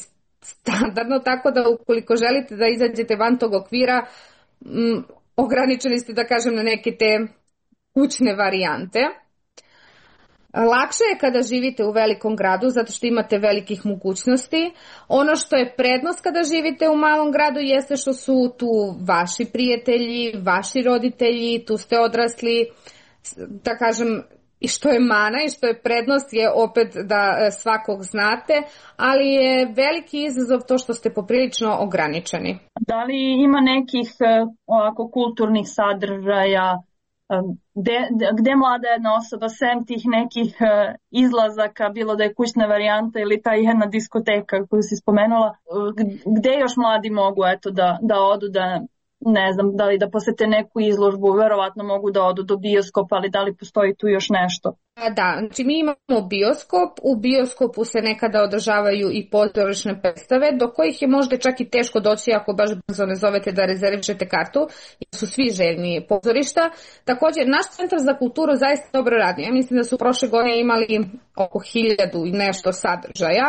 standardno, tako da ukoliko želite da izađete van tog okvira, m, ograničeni ste, da kažem, na neke te kućne varijante. Lakše je kada živite u velikom gradu zato što imate velikih mogućnosti. Ono što je prednost kada živite u malom gradu jeste što su tu vaši prijatelji, vaši roditelji, tu ste odrasli, da kažem, i što je mana i što je prednost je opet da svakog znate, ali je veliki izazov to što ste poprilično ograničeni. Da li ima nekih ovako kulturnih sadržaja Gde, gde mlada jedna osoba sem tih nekih izlazaka, bilo da je kućna varijanta ili ta jedna diskoteka koju si spomenula, gde još mladi mogu eto, da, da odu, da ne znam, da li da posete neku izložbu, verovatno mogu da odu do bioskopa, ali da li postoji tu još nešto? Da, znači mi imamo bioskop, u bioskopu se nekada održavaju i pozorišne predstave, do kojih je možda čak i teško doći ako baš brzo ne zovete da rezervišete kartu, jer su svi željni pozorišta. Također, naš centar za kulturu zaista dobro radi. Ja mislim da su prošle godine imali oko hiljadu i nešto sadržaja,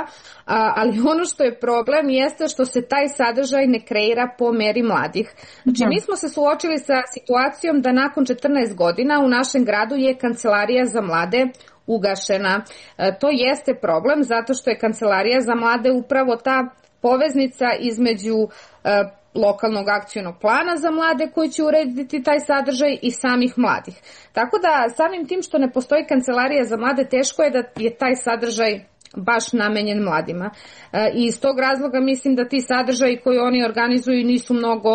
ali ono što je problem jeste što se taj sadržaj ne kreira po meri mladih. Znači, mi smo se suočili sa situacijom da nakon četrnaest godina u našem gradu je kancelarija za mlade ugašena. E, to jeste problem zato što je kancelarija za mlade upravo ta poveznica između e, lokalnog akcionog plana za mlade koji će urediti taj sadržaj i samih mladih. Tako da samim tim što ne postoji kancelarija za mlade, teško je da je taj sadržaj baš namenjen mladima. E, I iz tog razloga mislim da ti sadržaji koji oni organizuju nisu mnogo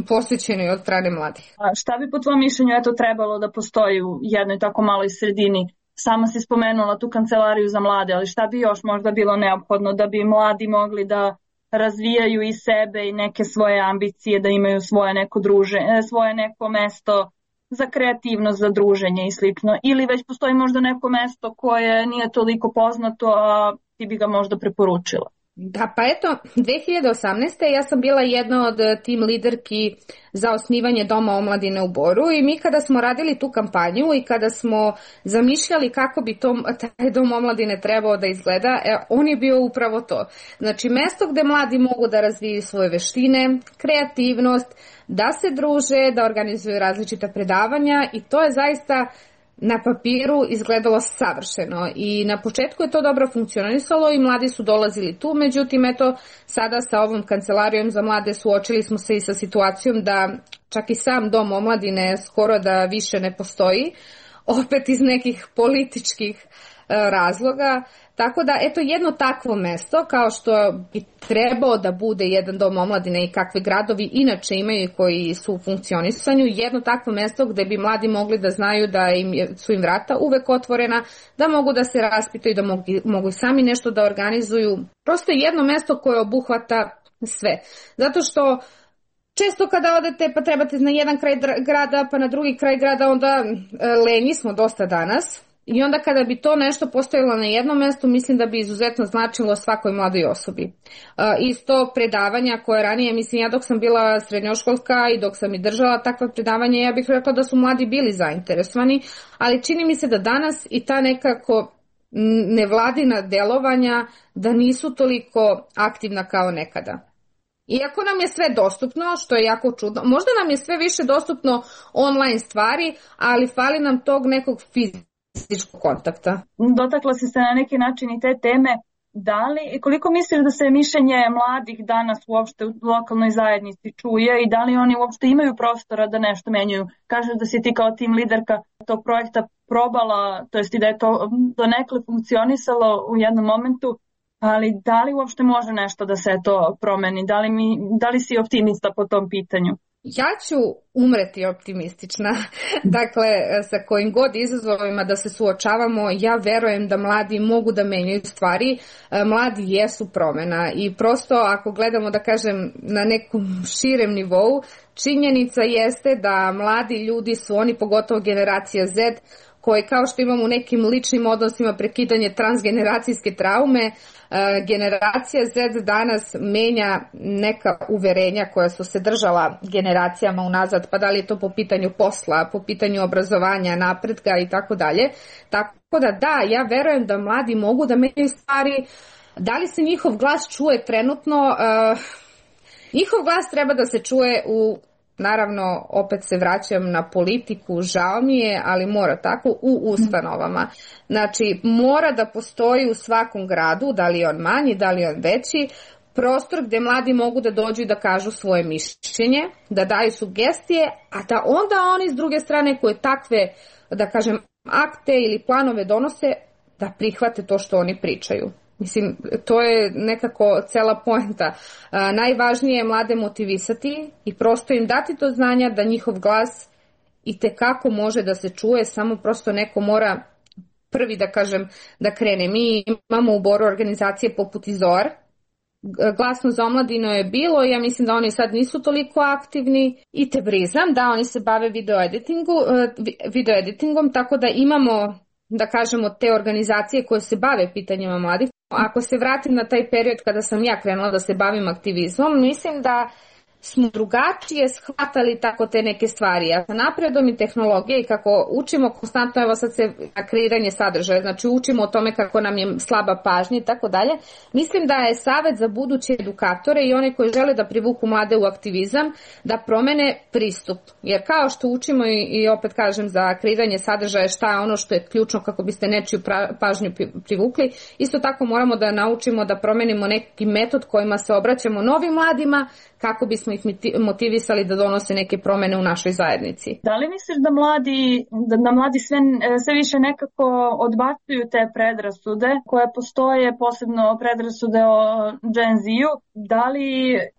posvećeni od strane mladih. A šta bi po tvojom mišljenju eto trebalo da postoji u jednoj tako maloj sredini? Sama si spomenula tu kancelariju za mlade, ali šta bi još možda bilo neophodno da bi mladi mogli da razvijaju i sebe i neke svoje ambicije, da imaju svoje neko druženje, svoje neko mesto za kreativnost, za druženje i slično, ili već postoji možda neko mesto koje nije toliko poznato, a ti bi ga možda preporučila? Da, pa eto, dve hiljade osamnaeste. ja sam bila jedna od tim liderki za osnivanje Doma omladine u Boru i mi kada smo radili tu kampanju i kada smo zamišljali kako bi to, taj Dom omladine trebao da izgleda, e, on je bio upravo to. Znači, mesto gde mladi mogu da razviju svoje veštine, kreativnost, da se druže, da organizuju različita predavanja i to je zaista na papiru izgledalo savršeno i na početku je to dobro funkcionisalo i mladi su dolazili tu, međutim eto sada sa ovom kancelarijom za mlade suočili smo se i sa situacijom da čak i sam Dom omladine skoro da više ne postoji, opet iz nekih političkih razloga, tako da eto jedno takvo mesto kao što bi trebao da bude jedan dom omladine i kakve gradovi inače imaju koji su u funkcionisanju, jedno takvo mesto gde bi mladi mogli da znaju da im su im vrata uvek otvorena, da mogu da se raspitaju, da mogu, mogu sami nešto da organizuju, prosto jedno mesto koje obuhvata sve, zato što često kada odete pa trebate na jedan kraj grada pa na drugi kraj grada, onda lenji smo dosta danas. I onda kada bi to nešto postojalo na jednom mestu, mislim da bi izuzetno značilo svakoj mladoj osobi. Uh, isto predavanja koje ranije, mislim ja dok sam bila srednjoškolska i dok sam i držala takva predavanja, ja bih rekla da su mladi bili zainteresovani, ali čini mi se da danas i ta nekako nevladina delovanja da nisu toliko aktivna kao nekada. Iako nam je sve dostupno, što je jako čudno, možda nam je sve više dostupno online stvari, ali fali nam tog nekog fizičkog kontakta. Dotakla si se na neki način i te teme. Da li, koliko misliš da se mišljenje mladih danas uopšte u lokalnoj zajednici čuje i da li oni uopšte imaju prostora da nešto menjaju? Kažeš da si ti kao tim liderka tog projekta probala, to jest i da je to donekle funkcionisalo u jednom momentu, ali da li uopšte može nešto da se to promeni? Da li, mi, da li si optimista po tom pitanju? Ja ću umreti optimistična, dakle sa kojim god izazovima da se suočavamo, ja verujem da mladi mogu da menjaju stvari, mladi jesu promena i prosto ako gledamo da kažem na nekom širem nivou, činjenica jeste da mladi ljudi su oni, pogotovo generacija Z, koji kao što imamo u nekim ličnim odnosima prekidanje transgeneracijske traume, generacija Z danas menja neka uverenja koja su se držala generacijama unazad, pa da li je to po pitanju posla, po pitanju obrazovanja, napretka i tako dalje. Tako da da, ja verujem da mladi mogu da menjaju stvari. Da li se njihov glas čuje trenutno? Uh, njihov glas treba da se čuje u, naravno, opet se vraćam na politiku, žao mi je, ali mora tako, u ustanovama. Znači, mora da postoji u svakom gradu, da li je on manji, da li je on veći, prostor gde mladi mogu da dođu i da kažu svoje mišljenje, da daju sugestije, a da onda oni s druge strane koje takve, da kažem, akte ili planove donose, da prihvate to što oni pričaju. Mislim, to je nekako cela poenta. A, najvažnije je mlade motivisati i prosto im dati to znanja da njihov glas i tekako može da se čuje, samo prosto neko mora prvi, da kažem, da krene. Mi imamo u Boru organizacije poput Izor, Glasno za omladinu je bilo, ja mislim da oni sad nisu toliko aktivni, i Tebrizam, da oni se bave video editingu, video editingom, tako da imamo, da kažemo, te organizacije koje se bave pitanjima mladih. Ako se vratim na taj period kada sam ja krenula da se bavim aktivizmom, mislim da smo drugačije shvatali tako te neke stvari. A sa napredom i tehnologije i kako učimo konstantno, evo sad se na kreiranje sadržaja, znači učimo o tome kako nam je slaba pažnja i tako dalje, mislim da je savet za buduće edukatore i one koji žele da privuku mlade u aktivizam, da promene pristup. Jer kao što učimo i, i opet kažem za kreiranje sadržaja šta je ono što je ključno kako biste nečiju pažnju privukli, isto tako moramo da naučimo da promenimo neki metod kojima se obraćamo novim mladima, kako bismo ih motivisali da donose neke promene u našoj zajednici. Da li misliš da mladi, da, da mladi sve, sve više nekako odbacuju te predrasude koje postoje, posebno predrasude o Gen Z-u? Da li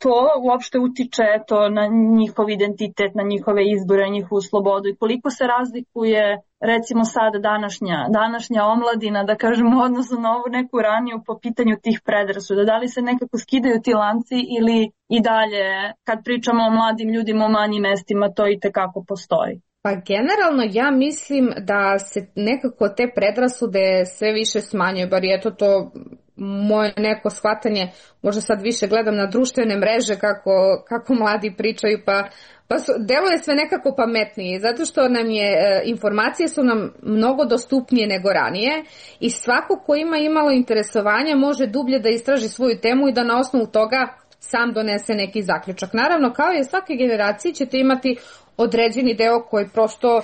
to uopšte utiče to na njihov identitet, na njihove izbore, njihovu slobodu i koliko se razlikuje recimo sad današnja, današnja omladina, da kažemo, odnosno na ovu neku raniju po pitanju tih predrasuda? Da li se nekako skidaju ti lanci ili i dalje, kad pričamo o mladim ljudima u manjim mestima, to i tekako postoji? Pa generalno ja mislim da se nekako te predrasude sve više smanjuju, bar je to to moje neko shvatanje, možda sad više gledam na društvene mreže kako, kako mladi pričaju, pa Pa su, deluje sve nekako pametnije, zato što nam je, e, informacije su nam mnogo dostupnije nego ranije i svako ko ima imalo interesovanja može dublje da istraži svoju temu i da na osnovu toga sam donese neki zaključak. Naravno, kao i svake generacije ćete imati određeni deo koji prosto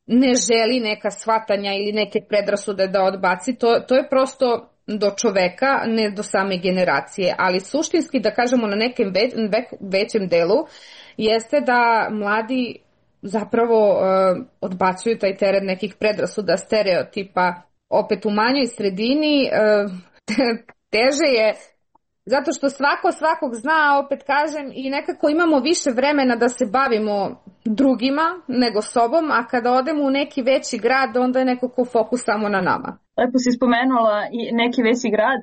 ne želi neka shvatanja ili neke predrasude da odbaci, to, to je prosto do čoveka, ne do same generacije, ali suštinski, da kažemo, na nekem ve, ve, većem delu jeste da mladi zapravo uh, odbacuju taj teret nekih predrasuda, stereotipa. Opet u manjoj sredini uh, teže je, zato što svako svakog zna, a opet kažem, i nekako imamo više vremena da se bavimo drugima nego sobom, a kada odemo u neki veći grad, onda je nekako fokus samo na nama. Lepo si spomenula i neki veći grad.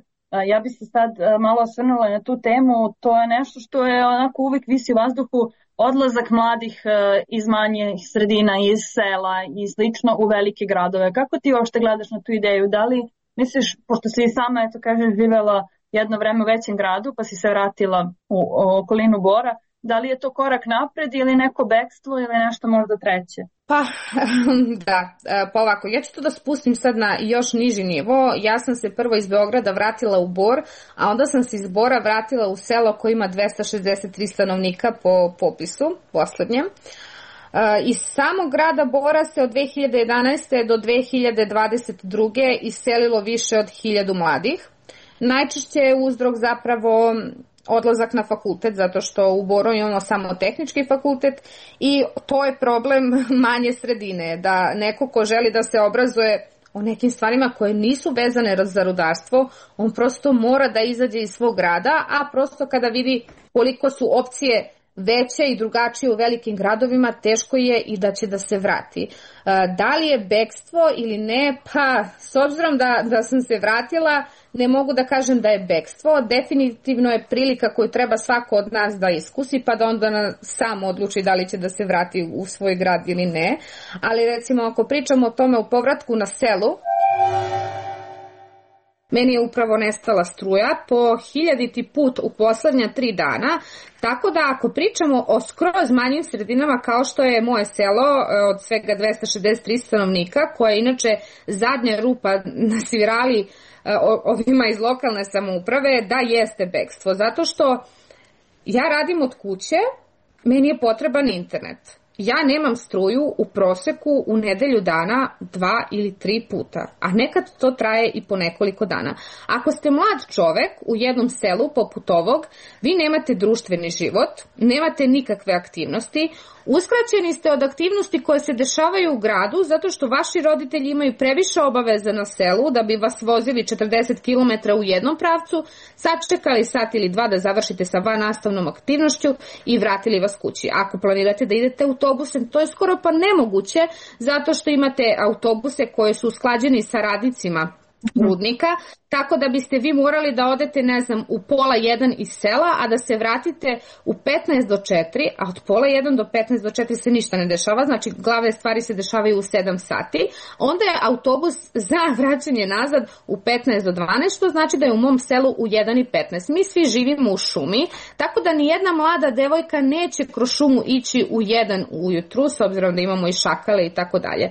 Ja bi se sad malo osvrnula na tu temu. To je nešto što je onako uvijek visi u vazduhu, odlazak mladih iz manjih sredina, iz sela i slično u velike gradove. Kako ti uopšte gledaš na tu ideju? Da li misliš, pošto si i sama, eto kažeš, živela jedno vreme u većem gradu pa si se vratila u, u okolinu Bora, da li je to korak napred ili neko bekstvo ili nešto možda treće? Pa, da, pa ovako, ja ću to da spustim sad na još niži nivo. Ja sam se prvo iz Beograda vratila u Bor, a onda sam se iz Bora vratila u selo koje ima dvesta šezdeset tri stanovnika po popisu poslednjem. Iz samog grada Bora se od dve hiljade jedanaeste do dve hiljade dvadeset druge iselilo više od hiljadu mladih. Najčešće je uzrok zapravo odlazak na fakultet, zato što u Boru imamo samo tehnički fakultet i to je problem manje sredine, da neko ko želi da se obrazuje o nekim stvarima koje nisu vezane za rudarstvo, on prosto mora da izađe iz svog grada, a prosto kada vidi koliko su opcije veće i drugačije u velikim gradovima, teško je i da će da se vrati. Da li je bekstvo ili ne? Pa, s obzirom da, da sam se vratila, ne mogu da kažem da je bekstvo. Definitivno je prilika koju treba svako od nas da iskusi, pa da onda sam odluči da li će da se vrati u svoj grad ili ne. Ali recimo, ako pričamo o tome u povratku na selu, meni je upravo nestala struja po hiljaditi put u poslednja tri dana, tako da ako pričamo o skroz manjim sredinama kao što je moje selo od svega dvesta šezdeset tri stanovnika, koja je inače zadnja rupa na svirali ovima iz lokalne samouprave, da jeste bekstvo. Zato što ja radim od kuće, meni je potreban internet. Ja nemam struju u proseku u nedelju dana dva ili tri puta, a nekad to traje i po nekoliko dana. Ako ste mlad čovek u jednom selu poput ovog, vi nemate društveni život, nemate nikakve aktivnosti, uskraćeni ste od aktivnosti koje se dešavaju u gradu zato što vaši roditelji imaju previše obaveza na selu da bi vas vozili četrdeset kilometara u jednom pravcu, sačekali sat ili dva da završite sa vannastavnom aktivnošću i vratili vas kući. Ako planirate da idete autobusem, to je skoro pa nemoguće zato što imate autobuse koje su usklađeni sa radnicima rudnika, tako da biste vi morali da odete, ne znam, u pola jedan iz sela, a da se vratite u petnaest do četiri, a od pola jedan do petnaest do četiri se ništa ne dešava, znači glavne stvari se dešavaju u sedam sati, onda je autobus za vraćanje nazad u petnaest do dvanaest, što znači da je u mom selu u jedan i petnaest. Mi svi živimo u šumi, tako da ni jedna mlada devojka neće kroz šumu ići u jedan ujutru, s obzirom da imamo i šakale i tako dalje.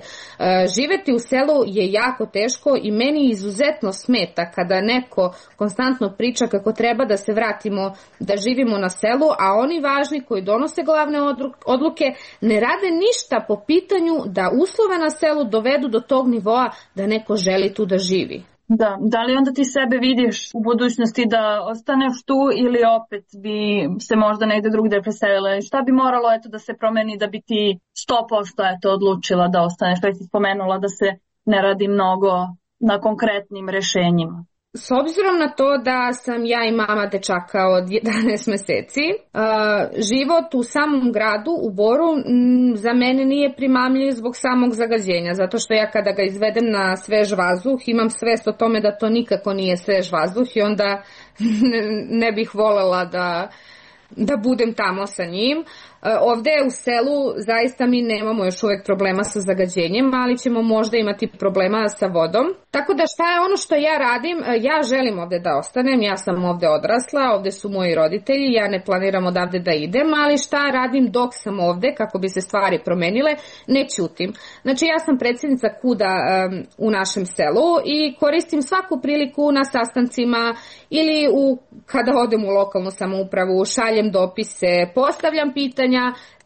Živeti u selu je jako teško i meni izuzetno smeta kada neko konstantno priča kako treba da se vratimo, da živimo na selu, a oni važni koji donose glavne odluke ne rade ništa po pitanju da uslove na selu dovedu do tog nivoa da neko želi tu da živi. Da, da li onda ti sebe vidiš u budućnosti da ostaneš tu ili opet bi se možda negde drugde preselila? Šta bi moralo eto da se promeni da bi ti sto posto eto odlučila da ostaneš? Što si spomenula da se ne radi mnogo na konkretnim rešenjima. S obzirom na to da sam ja i mama dečaka od jedanaest meseci, život u samom gradu, u Boru, za mene nije primamljiv zbog samog zagađenja, zato što ja kada ga izvedem na svež vazduh, imam svest o tome da to nikako nije svež vazduh i onda ne bih volela da, da budem tamo sa njim. Ovde u selu zaista mi nemamo još uvek problema sa zagađenjem, ali ćemo možda imati problema sa vodom. Tako da šta je ono što ja radim? Ja želim ovde da ostanem, ja sam ovde odrasla, ovde su moji roditelji, ja ne planiram odavde da idem, ali šta radim dok sam ovde kako bi se stvari promenile? Ne ćutim. Znači ja sam predsjednica KUD-a um, u našem selu i koristim svaku priliku na sastancima ili u, kada odem u lokalnu samoupravu, šaljem dopise, postavljam pitanja,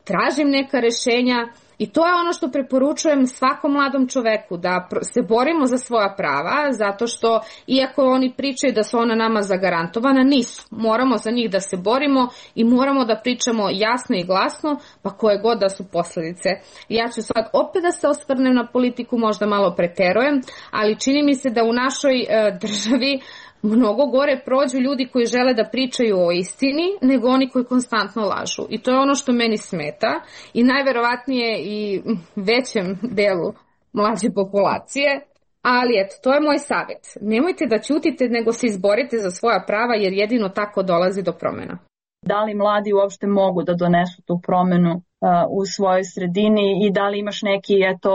tražim neka rešenja i to je ono što preporučujem svakom mladom čoveku, da se borimo za svoja prava, zato što iako oni pričaju da su ona nama zagarantovana, nisu. Moramo za njih da se borimo i moramo da pričamo jasno i glasno, pa koje god da su posledice. Ja ću sad opet da se osvrnem na politiku, možda malo preterujem, ali čini mi se da u našoj e, državi mnogo gore prođu ljudi koji žele da pričaju o istini nego oni koji konstantno lažu. I to je ono što meni smeta i najverovatnije i većem delu mlađe populacije. Ali eto, to je moj savjet. Nemojte da ćutite nego se izborite za svoja prava jer jedino tako dolazi do promjena. Da li mladi uopšte mogu da donesu tu promenu uh, u svojoj sredini i da li imaš neki eto,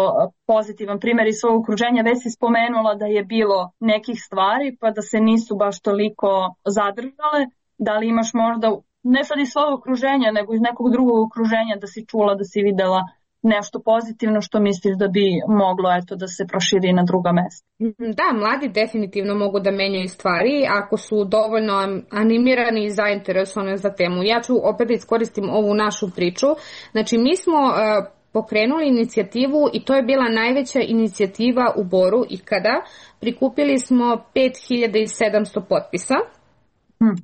pozitivan primjer iz svog okruženja? Već si spomenula da je bilo nekih stvari pa da se nisu baš toliko zadržale. Da li imaš možda, ne sad iz svog okruženja, nego iz nekog drugog okruženja da si čula, da si videla nešto pozitivno što misliš da bi moglo eto, da se proširi na druga mesta? Da, mladi definitivno mogu da menjaju stvari ako su dovoljno animirani i zainteresovani za temu. Ja ću opet da iskoristim ovu našu priču. Znači, mi smo uh, pokrenuli inicijativu i to je bila najveća inicijativa u Boru ikada. Prikupili smo pet hiljada sedamsto potpisa.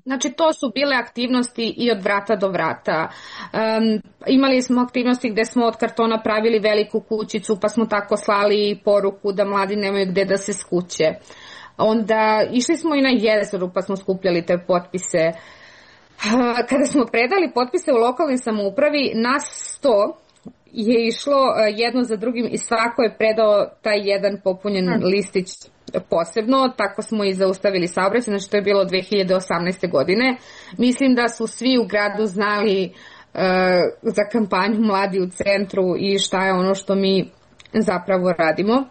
Znači to su bile aktivnosti i od vrata do vrata. Um, imali smo aktivnosti gde smo od kartona pravili veliku kućicu pa smo tako slali poruku da mladi nemaju gde da se skuće. Onda išli smo i na jezeru pa smo skupljali te potpise. Kada smo predali potpise u lokalnoj samoupravi, nas sto je išlo jedno za drugim i svako je predao taj jedan popunjen hmm. listić posebno, tako smo i zaustavili saobraćaj, znači to je bilo dve hiljade osamnaeste. godine. Mislim da su svi u gradu znali uh, za kampanju Mladi u centru i šta je ono što mi zapravo radimo.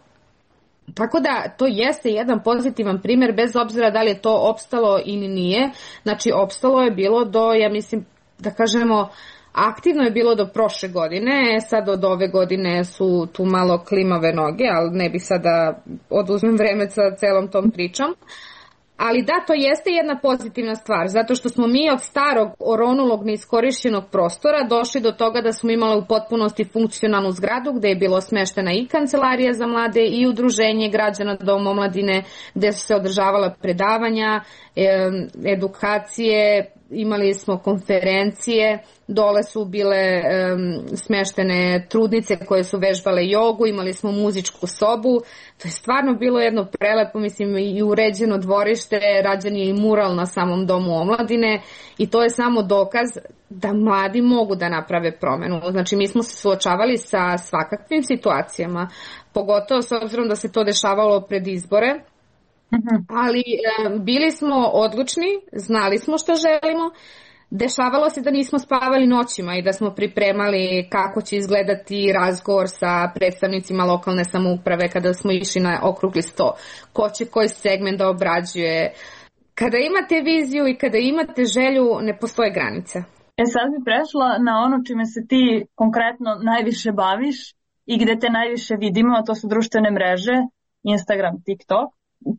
Tako da to jeste jedan pozitivan primjer, bez obzira da li je to opstalo ili nije. Znači opstalo je bilo do, ja mislim da kažemo, aktivno je bilo do prošle godine, sad od ove godine su tu malo klimave noge, ali ne bih sad da oduzmem vreme sa celom tom pričom. Ali da, to jeste jedna pozitivna stvar, zato što smo mi od starog oronulog neiskorišćenog prostora došli do toga da smo imali u potpunosti funkcionalnu zgradu gde je bilo smeštena i kancelarija za mlade i udruženje građana Dom omladine gde su se održavala predavanja, edukacije, imali smo konferencije, dole su bile um, smeštene trudnice koje su vežbale jogu, imali smo muzičku sobu, to je stvarno bilo jedno prelepo, mislim, i uređeno dvorište, rađen je i mural na samom Domu omladine i to je samo dokaz da mladi mogu da naprave promenu. Znači mi smo se suočavali sa svakakvim situacijama, pogotovo s obzirom da se to dešavalo pred izbore. Ali e, bili smo odlučni, znali smo što želimo, dešavalo se da nismo spavali noćima i da smo pripremali kako će izgledati razgovor sa predstavnicima lokalne samouprave kada smo išli na okrugli sto, ko će koji segment da obrađuje. Kada imate viziju i kada imate želju, ne postoje granice. E sad bi prešla na ono čime se ti konkretno najviše baviš i gde te najviše vidimo, a to su društvene mreže, Instagram, TikTok.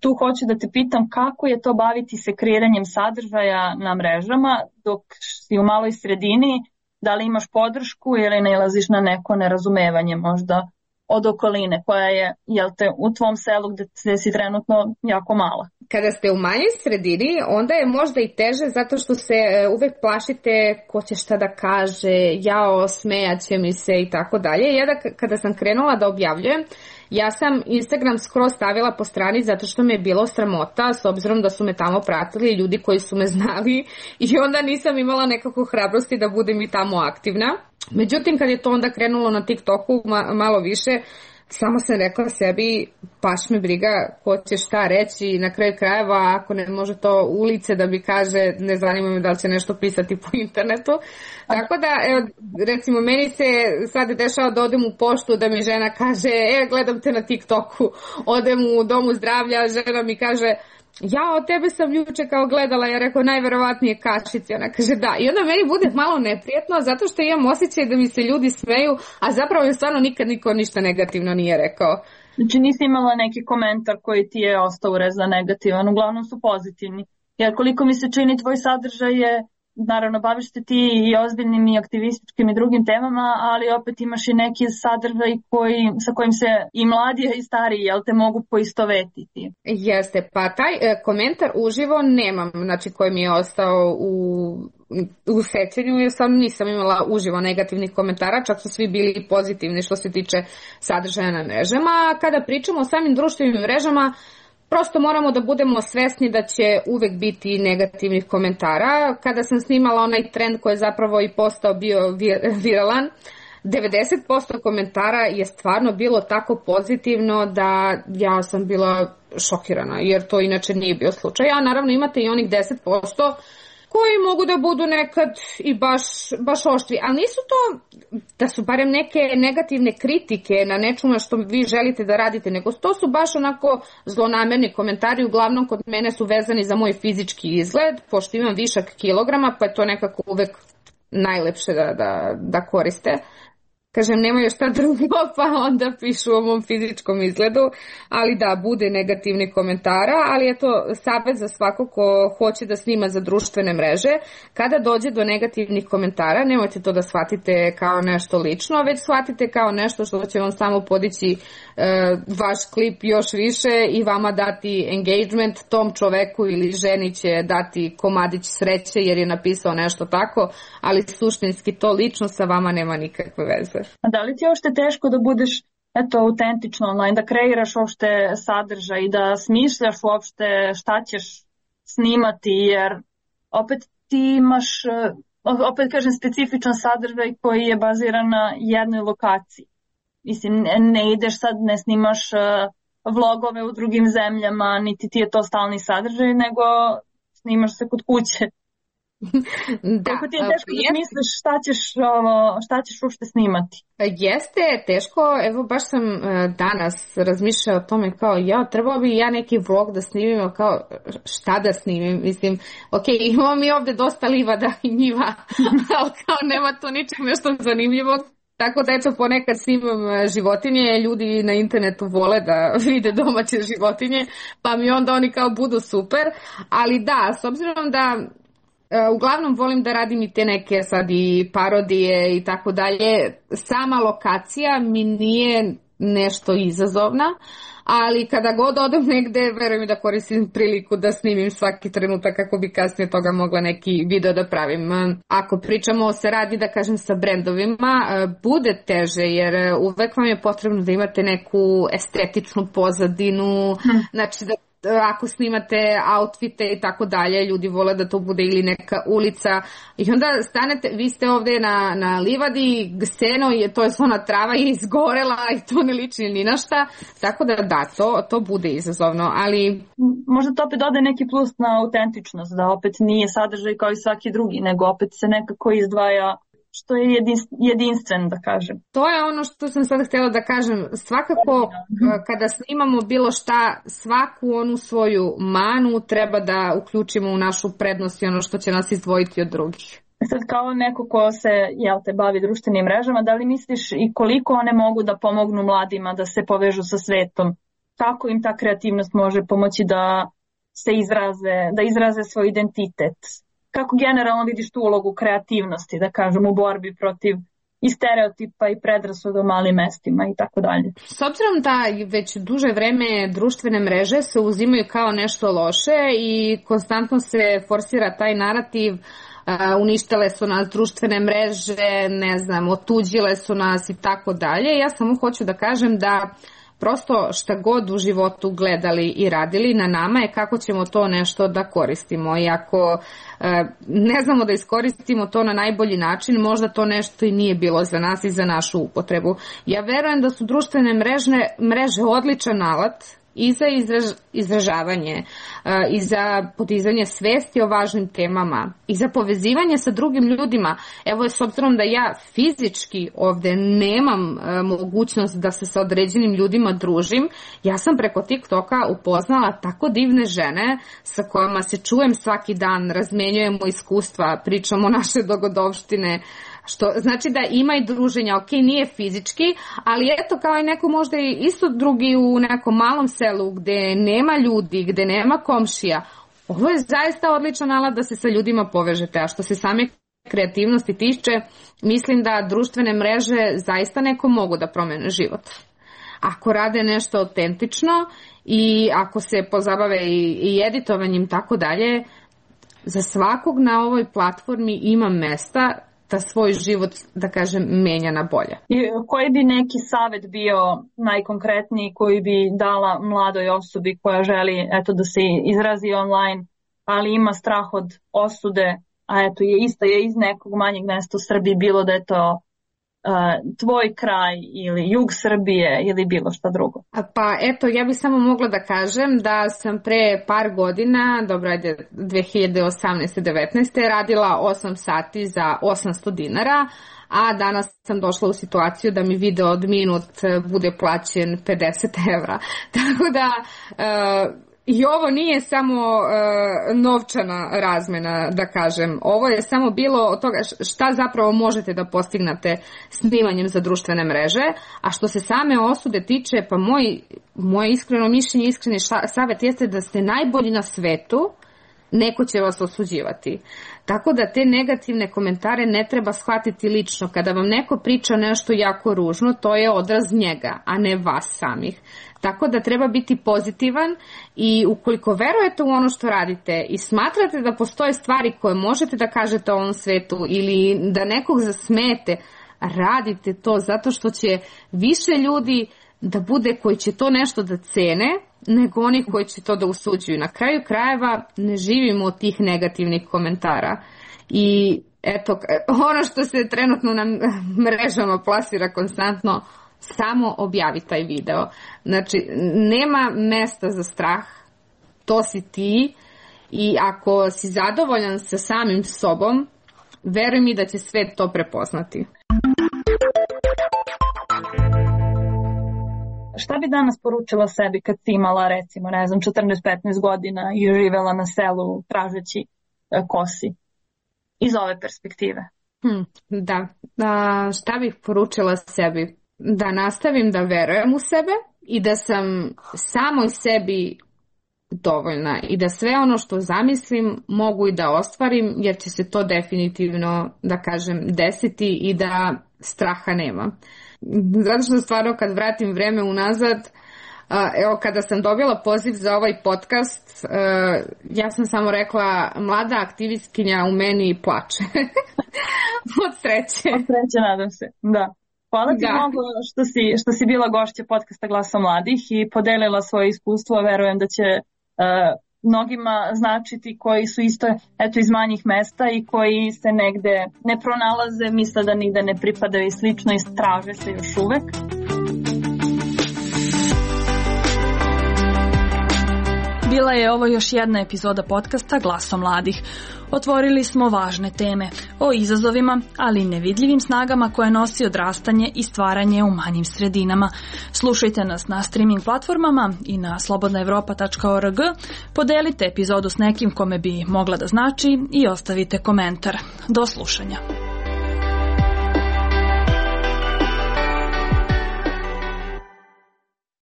Tu hoću da te pitam kako je to baviti se kreiranjem sadržaja na mrežama dok si u maloj sredini, da li imaš podršku ili nailaziš na neko nerazumevanje možda od okoline koja je, jel te, u tvom selu gde si trenutno jako mala. Kada ste u manjoj sredini, onda je možda i teže zato što se uvek plašite ko će šta da kaže, jao, smejaće mi se i tako dalje. Ja da kada sam krenula da objavljujem, ja sam Instagram skroz stavila po strani zato što me je bilo sramota s obzirom da su me tamo pratili ljudi koji su me znali i onda nisam imala nekako hrabrosti da budem i tamo aktivna. Međutim, kad je to onda krenulo na TikToku ma- malo više, samo sam rekla sebi, baš me briga ko će šta reći, na kraju krajeva ako ne može to ulice da mi kaže, ne zanima me da li će nešto pisati po internetu. Tako da, evo, recimo, meni se sad dešava da odem u poštu da mi žena kaže, e, gledam te na TikToku, odem u domu zdravlja, žena mi kaže, ja od tebe sam juče kao gledala, ja rekao najverovatnije kašici, ona kaže da, i onda meni bude malo neprijatno zato što imam osjećaj da mi se ljudi smeju, a zapravo mi stvarno nikad niko ništa negativno nije rekao. Znači nisi imala neki komentar koji ti je ostao urezan negativan, uglavnom su pozitivni, jer koliko mi se čini tvoj sadržaj je, naravno baviš se ti i ozbiljnim i aktivističkim i drugim temama, ali opet imaš i neki sadržaj koji, sa kojim se i mladi i stariji, jel te, mogu poistovetiti. Jeste, pa taj e, komentar uživo nemam, znači koji mi je ostao u, u sećanju, jer sam nisam imala uživo negativnih komentara, čak su svi bili pozitivni što se tiče sadržaja na mrežama. Kada pričamo o samim društvenim mrežama, prosto moramo da budemo svesni da će uvek biti negativnih komentara. Kada sam snimala onaj trend koji je zapravo i postao bio viralan, devedeset posto komentara je stvarno bilo tako pozitivno da ja sam bila šokirana, jer to inače nije bio slučaj. A naravno imate i onih deset posto koji mogu da budu nekad i baš, baš oštri, ali nisu to da su barem neke negativne kritike na nečemu što vi želite da radite, nego to su baš onako zlonamerni komentari, uglavnom kod mene su vezani za moj fizički izgled, pošto imam višak kilograma, pa je to nekako uvek najlepše da, da, da koriste. Kažem, nemaju šta drugo, pa onda pišu o mom fizičkom izgledu, ali da, bude negativni komentara, ali je to savjet za svako ko hoće da snima za društvene mreže. Kada dođe do negativnih komentara, nemojte to da shvatite kao nešto lično, već shvatite kao nešto što će vam samo podići e, vaš klip još više i vama dati engagement, tom čoveku ili ženi će dati komadić sreće jer je napisao nešto tako, ali suštinski to lično sa vama nema nikakve veze. A da li ti je uopšte teško da budeš eto, autentično online, da kreiraš uopšte sadržaj, da smišljaš uopšte šta ćeš snimati, jer opet ti imaš, opet kažem, specifičan sadržaj koji je baziran na jednoj lokaciji. Mislim, ne ideš sad, ne snimaš vlogove u drugim zemljama, niti ti je to stalni sadržaj, nego snimaš se kod kuće. Da, kako ti je teško da misliš šta ćeš, ovo, šta ćeš uopšte snimati? Jeste teško, evo baš sam danas razmišljala o tome kao ja, trebalo bi ja neki vlog da snimim, kao šta da snimim, mislim, ok, imamo mi ovde dosta livada i njiva, ali kao nema to ničeg nešto zanimljivo. Tako da eto ponekad snimam životinje, ljudi na internetu vole da vide domaće životinje, pa mi onda oni kao budu super, ali da, s obzirom da uglavnom volim da radim i te neke sad i parodije i tako dalje, sama lokacija mi nije nešto izazovna, ali kada god odem negde, verujem da koristim priliku da snimim svaki trenutak kako bi kasnije toga mogla neki video da pravim. Ako pričamo o saradnji, da kažem, sa brendovima, bude teže jer uvek vam je potrebno da imate neku estetičnu pozadinu, hmm. znači da ako snimate outfite i tako dalje, ljudi vole da to bude ili neka ulica i onda stanete, vi ste ovde na, na livadi, seno je, to je ona trava je izgorela i to ne liči ni na šta, tako da da, to, to bude izazovno, ali... Možda to opet dode neki plus na autentičnost, da opet nije sadržaj kao i svaki drugi, nego opet se nekako izdvaja što je jedinstven, da kažem. To je ono što sam sad htjela da kažem. Svakako, kada snimamo bilo šta, svaku onu svoju manu treba da uključimo u našu prednost i ono što će nas izdvojiti od drugih. Sad kao neko ko se, jel te, bavi društvenim mrežama, da li misliš i koliko one mogu da pomognu mladima da se povežu sa svetom? Kako im ta kreativnost može pomoći da se izraze, da izraze svoj identitet? Kako generalno vidiš tu ulogu kreativnosti, da kažem, u borbi protiv i stereotipa i predrasuda u malim mestima i tako dalje? S obzirom da već duže vreme društvene mreže se uzimaju kao nešto loše i konstantno se forsira taj narativ, uh, uništile su nas društvene mreže, ne znam, otuđile su nas i tako dalje, ja samo hoću da kažem da prosto šta god u životu gledali i radili, na nama je kako ćemo to nešto da koristimo. I ako e, ne znamo da iskoristimo to na najbolji način, možda to nešto i nije bilo za nas i za našu upotrebu. Ja verujem da su društvene mrežne, mreže odličan alat i za izraž, izražavanje, i za podizanje svesti o važnim temama, i za povezivanje sa drugim ljudima. Evo, s obzirom da ja fizički ovde nemam mogućnost da se sa određenim ljudima družim, ja sam preko TikToka upoznala tako divne žene sa kojima se čujem svaki dan, razmenjujemo iskustva, pričamo naše dogodovštine, što znači da ima i druženja, ok, nije fizički, ali eto kao i neko možda i isto drugi u nekom malom selu gde nema ljudi, gde nema komšija. Ovo je zaista odličan alat da se sa ljudima povežete, a što se same kreativnosti tiče, mislim da društvene mreže zaista neko mogu da promene život. Ako rade nešto autentično i ako se pozabave i, i editovanjem tako dalje, za svakog na ovoj platformi ima mesta da svoj život, da kažem, menja na bolje. I koji bi neki savjet bio najkonkretniji koji bi dala mladoj osobi koja želi eto, da se izrazi online, ali ima strah od osude, a eto je isto je iz nekog manjeg mesta u Srbiji, bilo da je to Uh, tvoj kraj ili jug Srbije ili bilo šta drugo? Pa eto, ja bih samo mogla da kažem da sam pre par godina, dobro ajde dve hiljade osamnaeste devetnaeste radila osam sati za osamsto dinara, a danas sam došla u situaciju da mi video od minut bude plaćen pedeset evra. Tako da uh, i ovo nije samo uh, novčana razmena, da kažem. Ovo je samo bilo od toga šta zapravo možete da postignete snimanjem za društvene mreže, a što se same osude tiče, pa moj, moje iskreno mišljenje, iskreni savjet jeste da ste najbolji na svetu, neko će vas osuđivati. Tako da te negativne komentare ne treba shvatiti lično. Kada vam neko priča nešto jako ružno, to je odraz njega, a ne vas samih. Tako da treba biti pozitivan i ukoliko verujete u ono što radite i smatrate da postoje stvari koje možete da kažete o ovom svetu ili da nekog zasmete, radite to zato što će više ljudi da bude koji će to nešto da cene nego oni koji će to da usuđuju. Na kraju krajeva ne živimo od tih negativnih komentara. I eto, ono što se trenutno na mrežama plasira konstantno, samo objavi taj video. Znači, nema mesta za strah, to si ti i ako si zadovoljan sa samim sobom, veruj mi da će svet to prepoznati. Šta bi danas poručila sebi kad si imala, recimo, ne znam, četrnaest petnaest godina i živela na selu tražeći kosi? Iz ove perspektive. Hmm, da. A, šta bih poručila sebi? Da nastavim da verujem u sebe i da sam samoj sebi dovoljna i da sve ono što zamislim mogu i da ostvarim, jer će se to definitivno, da kažem, desiti i da straha nema. Zato što stvarno kad vratim vreme unazad, evo kada sam dobila poziv za ovaj podcast, ja sam samo rekla mlada aktivistkinja u meni plače. Od sreće. Od sreće, nadam se, da. Hvala ti da. mnogo što si, što si bila gošća podcasta Glasa mladih i podelila svoje iskustvo. Verujem da će uh, mnogima značiti koji su isto eto, iz manjih mesta i koji se negde ne pronalaze, misle da nigde ne pripadaju i slično i traže se još uvek. Bila je ovo još jedna epizoda podcasta Glaso mladih. Otvorili smo važne teme o izazovima, ali i nevidljivim snagama koje nosi odrastanje i stvaranje u manjim sredinama. Slušajte nas na streaming platformama i na slobodna evropa tačka org. Podelite epizodu s nekim kome bi mogla da znači i ostavite komentar. Do slušanja.